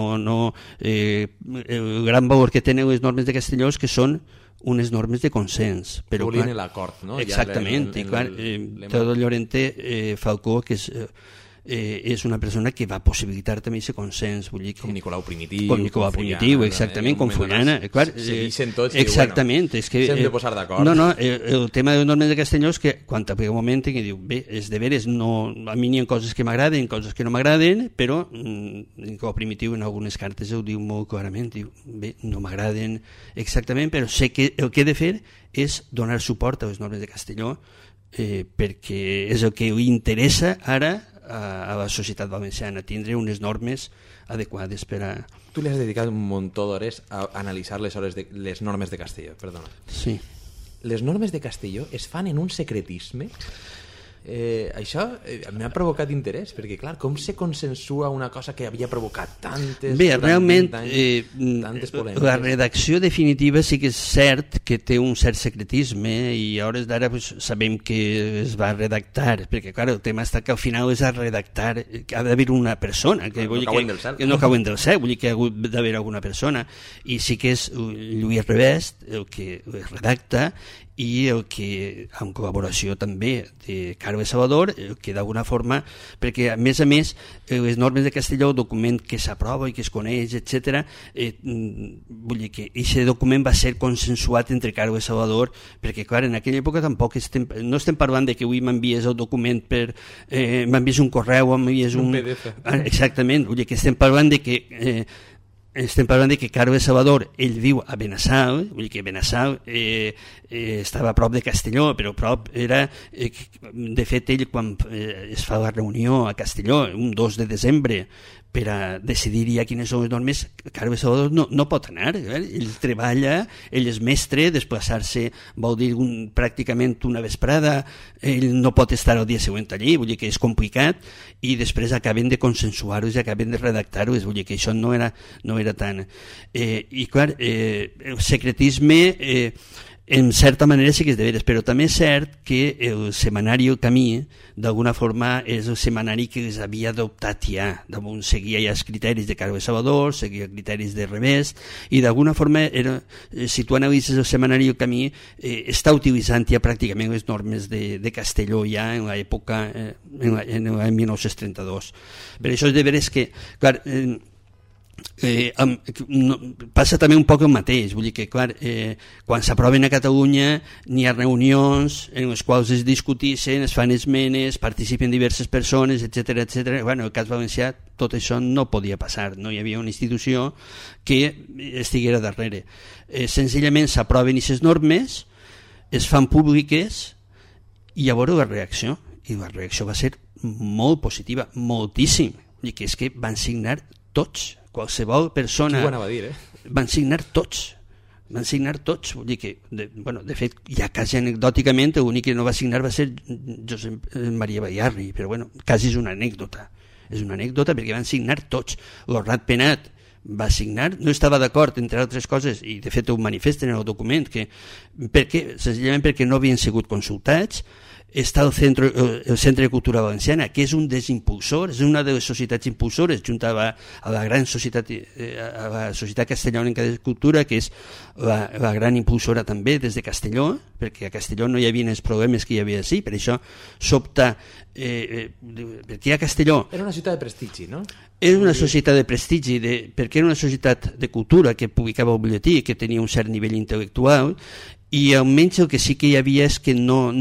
gran valor que tenen les normes de Castelló és que són unes normes de consens. Però volien l'acord, no? Exactament, i clar, Teodoro Llorente Falcó, que és una persona que va possibilitar també aquest consens, vull dir, com Nicolau Primitiu, exactament, com Fullana, segueixen tots, exactament, és que s'hem de posar d'acord. El tema de les normes de Castelló és que quan t'aplica un moment que diu, bé, és de veres, a mi n'hi ha coses que m'agraden, coses que no m'agraden, però Nicolau Primitiu en algunes cartes ho diu molt clarament, diu, bé, no m'agraden exactament, però sé que el que he de fer és donar suport a les normes de Castelló, perquè és el que li interessa ara a la societat valenciana, tindre unes normes adequades per a... Tu li has dedicat un muntó d'hores a analitzar les normes de Castelló, perdona. Sí. Les normes de Castelló es fan en un secretisme això m'ha provocat interès, perquè clar, com se consensua una cosa que havia provocat tantes... Bé, realment tantes polèmiques. La redacció definitiva sí que és cert que té un cert secretisme i a hores d'ara pues, sabem que es va redactar, perquè clar, el tema està que al final és a redactar, ha d'haver una persona que, no cauen del cel. Que no cauen del cel, vull dir que ha hagut d'haver alguna persona, i sí que és Lluís Revest el que redacta i el que, en col·laboració també de Carme Salvador, que d'alguna forma, perquè a més, les normes de Castelló, el document que s'aprova i que es coneix, etc., vull dir que aquest document va ser consensuat entre Carme Salvador, perquè clar, en aquella època tampoc no estem parlant de que avui m'envies el document m'envies un correu, m'envies un PDF. Exactament, vull dir que estem parlant de que Carme Salvador, ell viu a Benassal, vull dir que Benassal estava a prop de Castelló, però a prop era... de fet, ell quan es fa la reunió a Castelló, un 2 de desembre, per a decidir ja quines són les normes, Carme Salvador no pot anar, ell treballa, ell és mestre, desplaçar-se vol dir pràcticament una vesprada, ell no pot estar el dia següent allí, vull dir que és complicat, i després acaben de consensuar-ho i acaben de redactar-ho, vull dir que això no era tant... I clar, el secretisme... en certa manera sí que és de veres, però també és cert que el setmanari El Camí d'alguna forma és el setmanari que es havia adoptat ja, seguia ja els criteris de Carme Salvador, seguia els criteris de Revest, i d'alguna forma si tu analitzes el setmanari El Camí està utilitzant ja pràcticament les normes de Castelló ja en l'època en l'any 1932. Per això és de veres que clar, passa també un poc el mateix, vull dir que clar, quan s'aproven a Catalunya n'hi ha reunions en les quals es discuteixen, es fan esmenes, participen diverses persones, etc. Bueno, el cas valencià tot això no podia passar, no hi havia una institució que estiguera darrere, senzillament s'aproven aquestes normes, es fan públiques i llavors la reacció va ser molt positiva, moltíssim, vull dir que és que van signar tots, qualsevol persona... Qui ho anava a dir, Van signar tots, vull dir que, de fet, ja quasi anecdòticament, l'únic que no va signar va ser Josep Maria Bayarri, però quasi és una anècdota perquè van signar tots. L'Ornat Penat va signar, no estava d'acord, entre altres coses, i de fet ho manifesten en el document, senzillament perquè no havien sigut consultats. Està el Centre de Cultura Valenciana, que és un dels impulsors, és una de les societats impulsores, juntava a la gran societat, a la Societat Castellonenca de Cultura, que és la gran impulsora també des de Castelló, perquè a Castelló no hi havia els problemes que hi havia així, per això s'opta perquè a Castelló... Era una ciutat de prestigi, no? Era una societat de prestigi, perquè era una societat de cultura que publicava el butlletí, que tenia un cert nivell intel·lectual, i almenys el que sí que hi havia és que no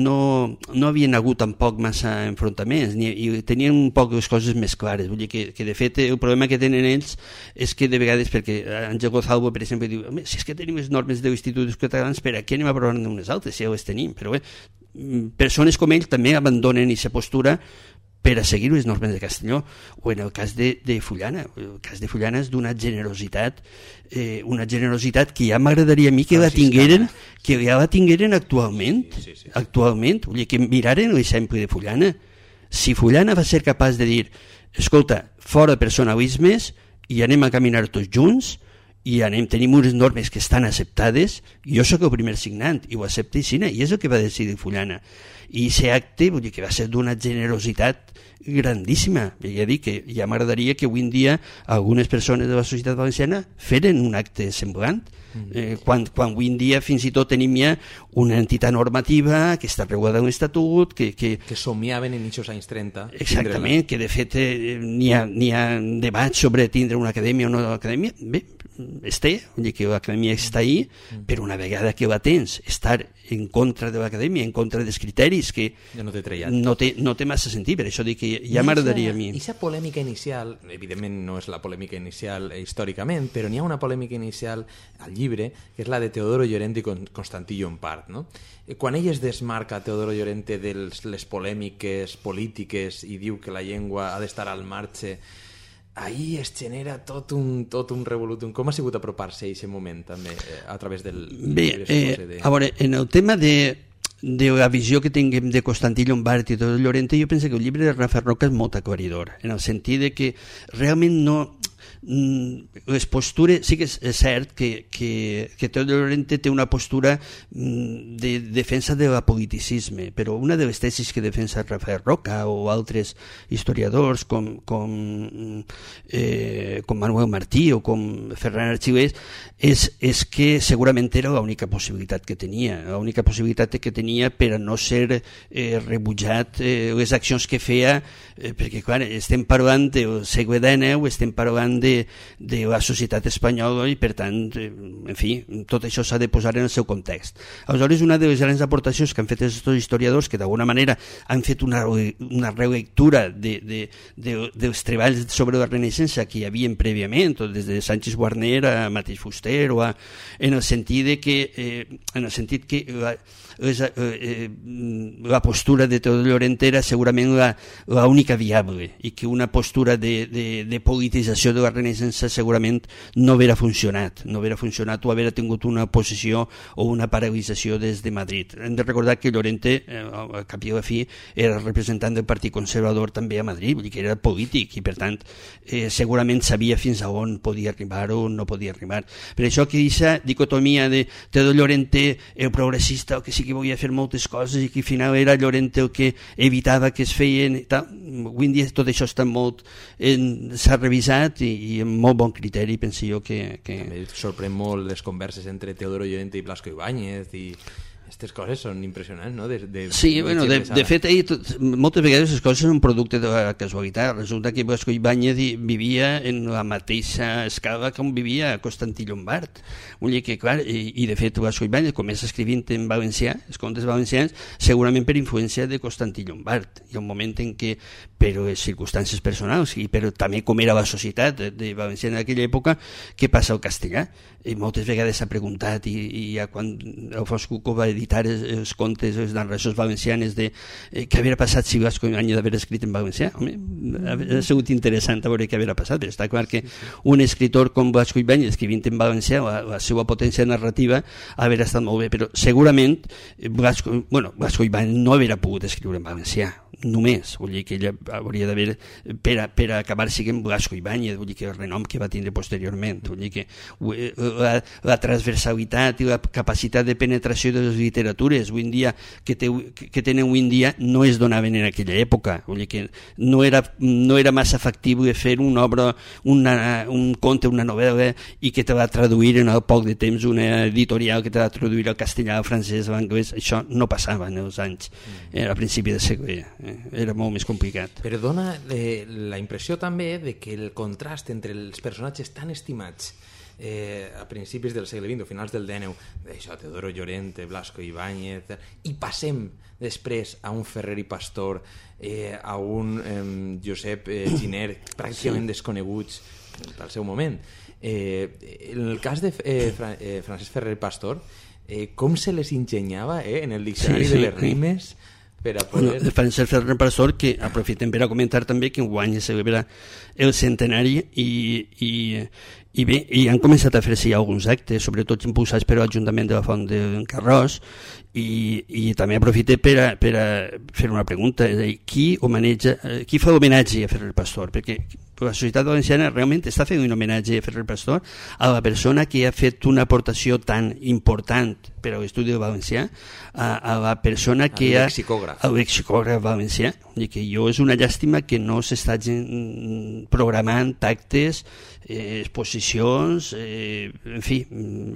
havien hagut tampoc massa enfrontaments i tenien un poc les coses més clares, vull dir que de fet el problema que tenen ells és que de vegades, perquè Àngel Gozalvo per exemple diu, si és que tenim les normes dels instituts catalans, per a què anem a provar unes altres si ja les tenim, però bé, persones com ell també abandonen aquesta postura per a seguir les normes de Castelló, o en el cas de Fullana. El cas de Fullana és d'una generositat, que ja m'agradaria a mi que ja la tingueren actualment, actualment, vull dir que miraren l'exemple de Fullana. Si Fullana va ser capaç de dir, escolta, fora personalismes i anem a caminar tots junts, i tenim unes normes que estan acceptades, jo sóc el primer signant i ho accepta i és el que va decidir Fullana, i aquest acte vull dir que va ser d'una generositat grandíssima. Ja dic que ja m'agradaria que avui en dia algunes persones de la societat valenciana feren un acte semblant, quan avui en dia fins i tot tenim ja una entitat normativa que està regulada en l'estatut, que somiaven en aquests anys 30. Exactament, que de fet n'hi ha debat sobre tindre una acadèmia o no acadèmia. Bé, vull dir que l'acadèmia està ahí, però una vegada que la tens, estar en contra de l'acadèmia, en contra dels criteris, que ja no té trellat. No té massa sentit, per això dic que ja m'agradaria a mi. Aquesta polèmica inicial, evidentment no és la polèmica inicial històricament, però n'hi ha una polèmica inicial al llibre, que és la de Teodoro Llorente i Constantí Llompart, no? Quan ell es desmarca, Teodoro Llorente, de les polèmiques polítiques i diu que la llengua ha d'estar al marge, ahí es genera tot un revolutum. Com ha sigut apropar-se a aquest moment també a través del... Bé, a veure, en el tema de de la visió que tinguem de Constantí Llombart i Teodor Llorente, jo penso que el llibre de Rafael Roca és molt aclaridor, en el sentit de que realment no... les postures, sí que és cert que Teodor Llorente té una postura de defensa de l'apoliticisme, però una de les tesis que defensa Rafael Roca o altres historiadors com Manuel Martí o com Ferran Arxilés és que segurament era l'única possibilitat que tenia, per a no ser rebutjat les accions que feia, perquè clar, estem parlant del segle XIX, estem parlant de la societat espanyola i per tant, en fi, tot això s'ha de posar en el seu context. Aleshores, una de les grans aportacions que han fet aquests historiadors, que d'alguna manera han fet una relectura dels treballs sobre la Renaixença que hi havia prèviament, des de Sánchez Guarner a Mateix Fuster, en el sentit que la postura de Teodor Llorente era segurament l'única viable i que una postura de politització de la Renaixença segurament no haguera funcionat o haguera tingut una oposició o una paralització des de Madrid. Hem de recordar que Llorente, al cap i a la fi, era representant del Partit Conservador també a Madrid, vull dir que era polític i per tant segurament sabia fins a on podia arribar o no podia arribar. Per això que aquesta dicotomia de Teodor Llorente, el progressista, el que sí que volia fer moltes coses i que al final era Llorente el que evitava que es feien i tal. Avui en dia tot això està s'ha revisat i amb molt bon criteri, penso jo que... També sorprèn molt les converses entre Teodoro Llorente i Blasco Ibáñez i... Aquestes coses són impressionants, no? Sí, bueno, de fet, moltes vegades les coses són un producte de la casualitat. Resulta que Blasco Ibáñez vivia en la mateixa escala com vivia Constantí Llombart. Vull dir que, clar, i de fet Blasco Ibáñez comença escrivint en valencià, els contes valencians, segurament per influència de Constantí Llombart. Hi ha un moment en què, per les circumstàncies personals, però també com era la societat de Valencià en aquella època, què passa al castellà? I moltes vegades s'ha preguntat, i ja quan Alfons Cuco va editar els contes, les narracions valencianes de què havia passat si Blasco Ibáñez d'haver escrit en valencià. Home, ha sigut interessant a veure què havia passat. Està clar que un escritor com Blasco Ibáñez escrivint en valencià, la seva potència narrativa havia estat molt bé, però segurament Blasco Ibáñez no havia pogut escriure en valencià, només. Vull dir que ella hauria d'haver, per acabar siguent Blasco Ibáñez, vull dir que el renom que va tindre posteriorment, vull dir que la transversalitat i la capacitat de penetració de les literatures avui en dia que tenen avui en dia no es donaven en aquella època. Vull dir que no era massa factible fer una obra, un conte, una novel·la i que te va traduir en poc de temps una editorial que te va traduir al castellà, al francès, a l'anglès. Això no passava en els anys, a principi de segle. Era molt més complicat. Però dona la impressió també de que el contrast entre els personatges tan estimats a principis del segle XX o finals del XIX, això, Teodoro Llorente, Blasco Ibáñez, i passem després a un Ferrer i Pastor, a un Josep Giner, pràcticament desconeguts pel seu moment. En el cas de Francesc Ferrer i Pastor, com se les ingeniava en el diccionari de les rimes per a poder... Francesc Ferrer i Pastor, que aprofitem per a comentar també que enguany es celebra el centenari i bé, i han començat a fer-se alguns actes, sobretot impulsats per l'Ajuntament de la Font d'en Carròs, i també aprofite per a fer una pregunta, és a dir, qui fa homenatge a Ferrer Pastor? Perquè la societat valenciana realment està fent un homenatge a Ferrer Pastor, a la persona que ha fet una aportació tan important per a l'estudi del valencià, a la persona que ha... El lexicògraf valencià. I que és una llàstima que no s'està programant actes, exposicions, en fi,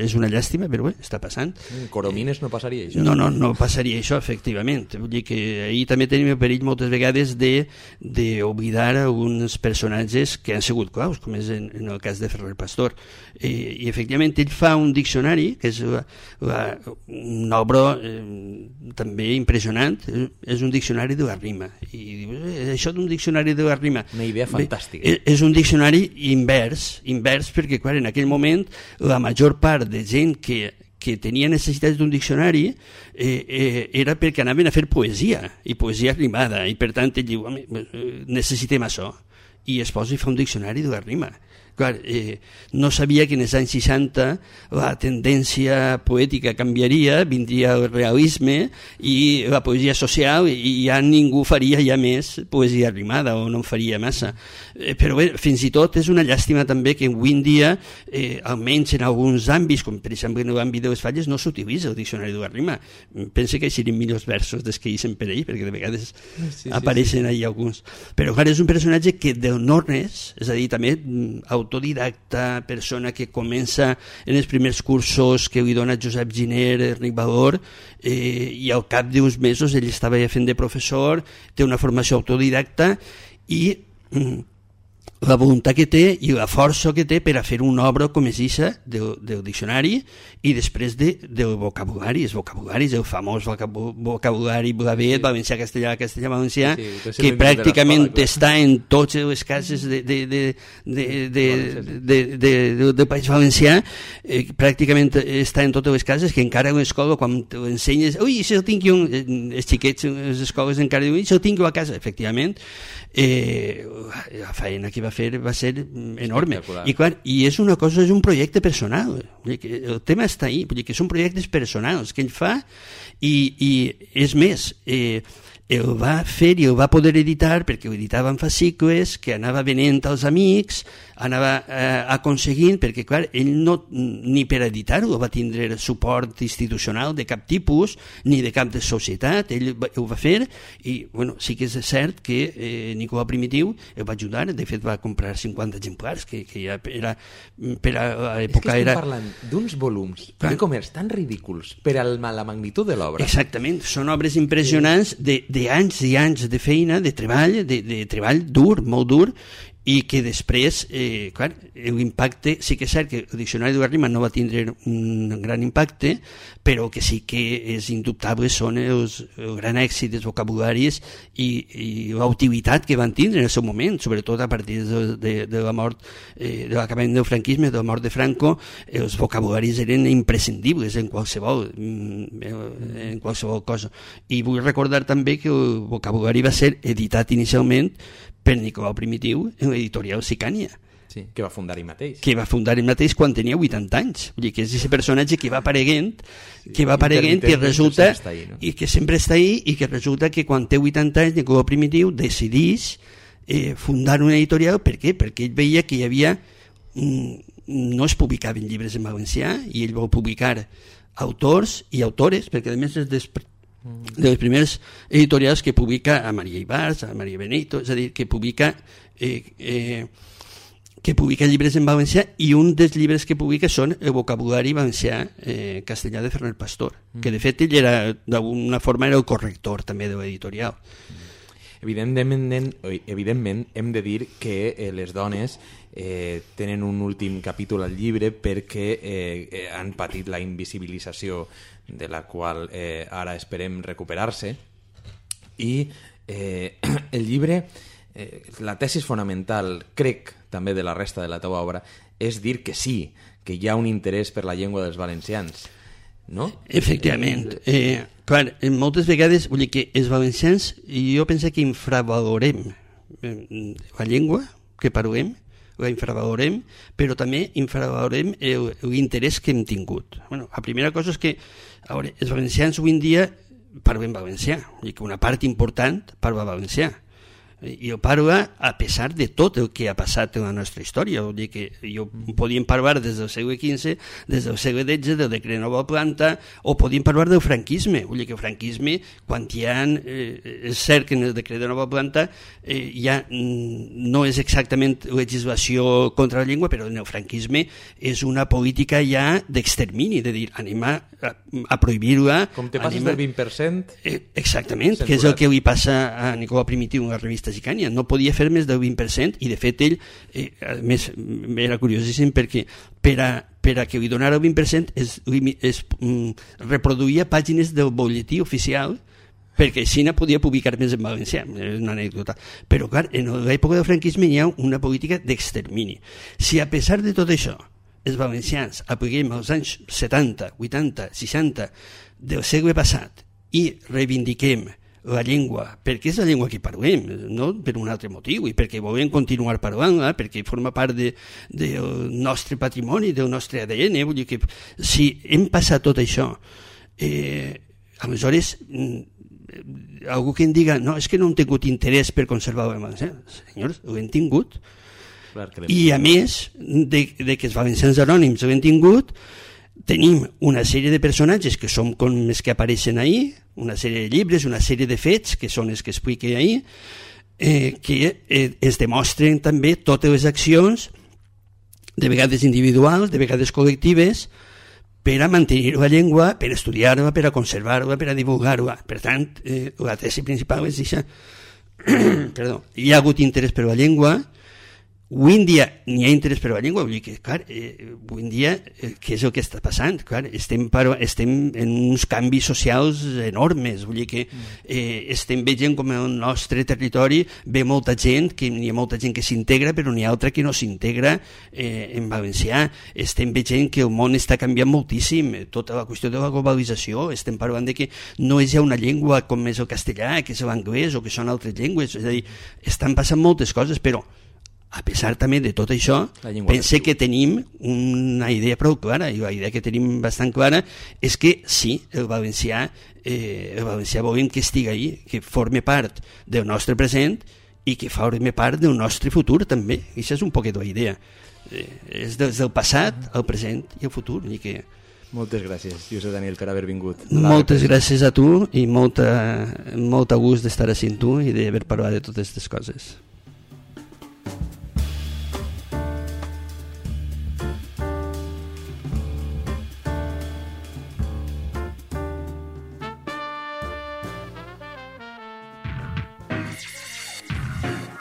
és una llàstima, però bé, està passant. Coromines no passaria això? No passaria això, efectivament. Vull dir que ahir també tenim el perill moltes vegades d'oblidar alguns personatges que han sigut claus, com és en el cas de Ferrer Pastor. I efectivament ell fa un diccionari, que és una obra també impressionant, és un diccionari de la rima. I això d'un diccionari de la rima... Una idea fantàstica. És un diccionari invers perquè, clar, en aquell moment la major part de gent que tenia necessitats d'un diccionari era perquè anaven a fer poesia, i poesia rimada, i per tant ell diu, necessitem això, i es posa i fa un diccionari de la rima. Clar, no sabia que en els anys 60 la tendència poètica canviaria, vindria el realisme i la poesia social, i ja ningú faria ja més poesia rimada, o no en faria massa. Però bé, fins i tot és una llàstima també que avui en dia, almenys en alguns àmbits, com per exemple en l'àmbit de les falles, no s'utilitza el diccionari de la rima. Penso que serien millors versos des que hi per ell, perquè de vegades apareixen ahí alguns. Però clar, és un personatge que del no-res, és a dir, també autodidacta, persona que comença en els primers cursos que li dona Josep Giner, Enric Valor, i al cap d'uns mesos ell estava ja fent de professor, té una formació autodidacta i la voluntat que té i la força que té per a fer una obra com és aquesta del diccionari i després del vocabulari, els vocabularis, el famós vocabulari blavet, valencià, castellà, castellà-valencià, que pràcticament està en totes les cases del País Valencià, pràcticament està en totes les cases, que encara a l'escola, quan t'ensenyes, ui, això ho tinc jo, els xiquets, les escoles encara diuen, això ho tinc jo a casa, efectivament, la feina que va fer va ser enorme i clar, i és una cosa, és un projecte personal, el tema està ahí, que són projectes personals que ell fa i és més, el va fer i el va poder editar perquè ho editava en fascicles que anava venent als amics, anava aconseguint, perquè clar, ell no, ni per editar-ho va tindre suport institucional de cap tipus ni de cap de societat, ell ho va fer i bueno, sí que és cert que Nicolau Primitiu el va ajudar, de fet va comprar 50 exemplars que ja era per a l'època era... És que estem parlant d'uns volums de comerç tan ridículs per a la magnitud de l'obra. Exactament, són obres impressionants d'anys i anys de feina, de treball dur, molt dur, i que després, clar, l'impacte, sí que és cert que el diccionari de la rima no va tindre un gran impacte, però que sí que és indubtable són el gran èxit dels vocabularis i la utilitat que van tindre en el seu moment, sobretot a partir de la mort, de l'acabament del franquisme, de la mort de Franco, els vocabularis eren imprescindibles en qualsevol cosa. I vull recordar també que el vocabulari va ser editat inicialment per Nicolau Primitiu en l'editorial Sicània. Sí, que va fundar ell mateix. Que va fundar ell mateix quan tenia 80 anys. Vull dir que és aquest personatge que va apareguent, i resulta i que sempre està ahí i que resulta que quan té 80 anys Nicolau Primitiu decideix fundar una editorial. Per què? Perquè ell veia que hi havia... no es publicaven llibres en valencià i ell va publicar autors i autores, perquè a més és de les primeres editorials que publica a Maria Ibars, a Maria Benito, és a dir, que publica llibres en valencià, i un dels llibres que publica són el vocabulari valencià castellà de Ferrer Pastor, que de fet ell era, d'alguna forma era el corrector també de l'editorial. Evidentment hem de dir que les dones tenen un últim capítol al llibre perquè han patit la invisibilització de la qual ara esperem recuperar-se, i el llibre, la tesis fonamental, crec, també de la resta de la teva obra, és dir que sí, que hi ha un interès per la llengua dels valencians, no? Efectivament. Clar, moltes vegades, vull dir que els valencians, jo penso que infravalorem la llengua que parlem, la infravalorem, però també infravalorem l'interès que hem tingut. Bueno, la primera cosa és que els valencians avui en dia parlen valencià, vull dir que una part important parla valencià, i ho parla a pesar de tot el que ha passat en la nostra història. Vull dir que podíem parlar des del segle XV, des del segle XVI, del decret de nova planta, o podíem parlar del franquisme. Vull dir que el franquisme, quan hi ha, és cert que en el decret de nova planta ja no és exactament legislació contra la llengua, però en el franquisme és una política ja d'extermini, de dir, anem a prohibir-la. Com te passes del 20%? Exactament, que és el que li passa a Nicolau Primitiu en la revista Sicània. No podia fer més del 20%, i de fet ell, a més, era curiosíssim perquè per a que li donara el 20% es reproduïa pàgines del butlletí oficial, perquè així no podia publicar més en valencià. És una anècdota. Però clar, en l'època del franquisme hi ha una política d'extermini. Si a pesar de tot això els valencians apliquem als anys 70, 80, 60 del segle passat i reivindiquem la llengua, perquè és la llengua que parlem, no per un altre motiu, i perquè volem continuar parlant-la, perquè forma part del nostre patrimoni, del nostre ADN. Vull dir que si hem passat tot això, aleshores algú que em diga no, és que no hem tingut interès per conservar el valencià. Senyors, ho hem tingut. I a més de que els valencians anònims ho hem tingut, tenim una sèrie de personatges que són com els que apareixen ahir, una sèrie de llibres, una sèrie de fets que són els que expliqué ahir, que es demostren també totes les accions, de vegades individuals, de vegades col·lectives, per a mantenir la llengua, per a estudiar-la, per a conservar-la, per a divulgar-la. Per tant, la tesi principal és això. Perdó, hi ha hagut interès per la llengua. Avui en dia n'hi ha interès per la llengua, vull dir que, clar, avui en dia, què és el que està passant? Clar, estem en uns canvis socials enormes, vull dir que estem veient com el nostre territori ve molta gent, que n'hi ha molta gent que s'integra, però n'hi ha altra que no s'integra en valencià. Estem veient que el món està canviant moltíssim, tota la qüestió de la globalització, estem parlant de que no és ja una llengua com és el castellà, que és l'anglès o que són altres llengües, és a dir, estan passant moltes coses, però a pesar també de tot això, pense que tenim una idea prou clara, i la idea que tenim bastant clara és que sí, el valencià volem que estigui ahí, que forme part del nostre present i que forme part del nostre futur també. Això és un poquet la idea. És des del passat, el present i el futur. I que... Moltes gràcies, Josep Daniel, per haver vingut. Moltes gràcies a tu i molt gust d'estar així amb tu i d'haver parlat de totes aquestes coses.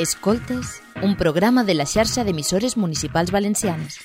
Escoltes, un programa de la xarxa d'emissores municipals valencianes.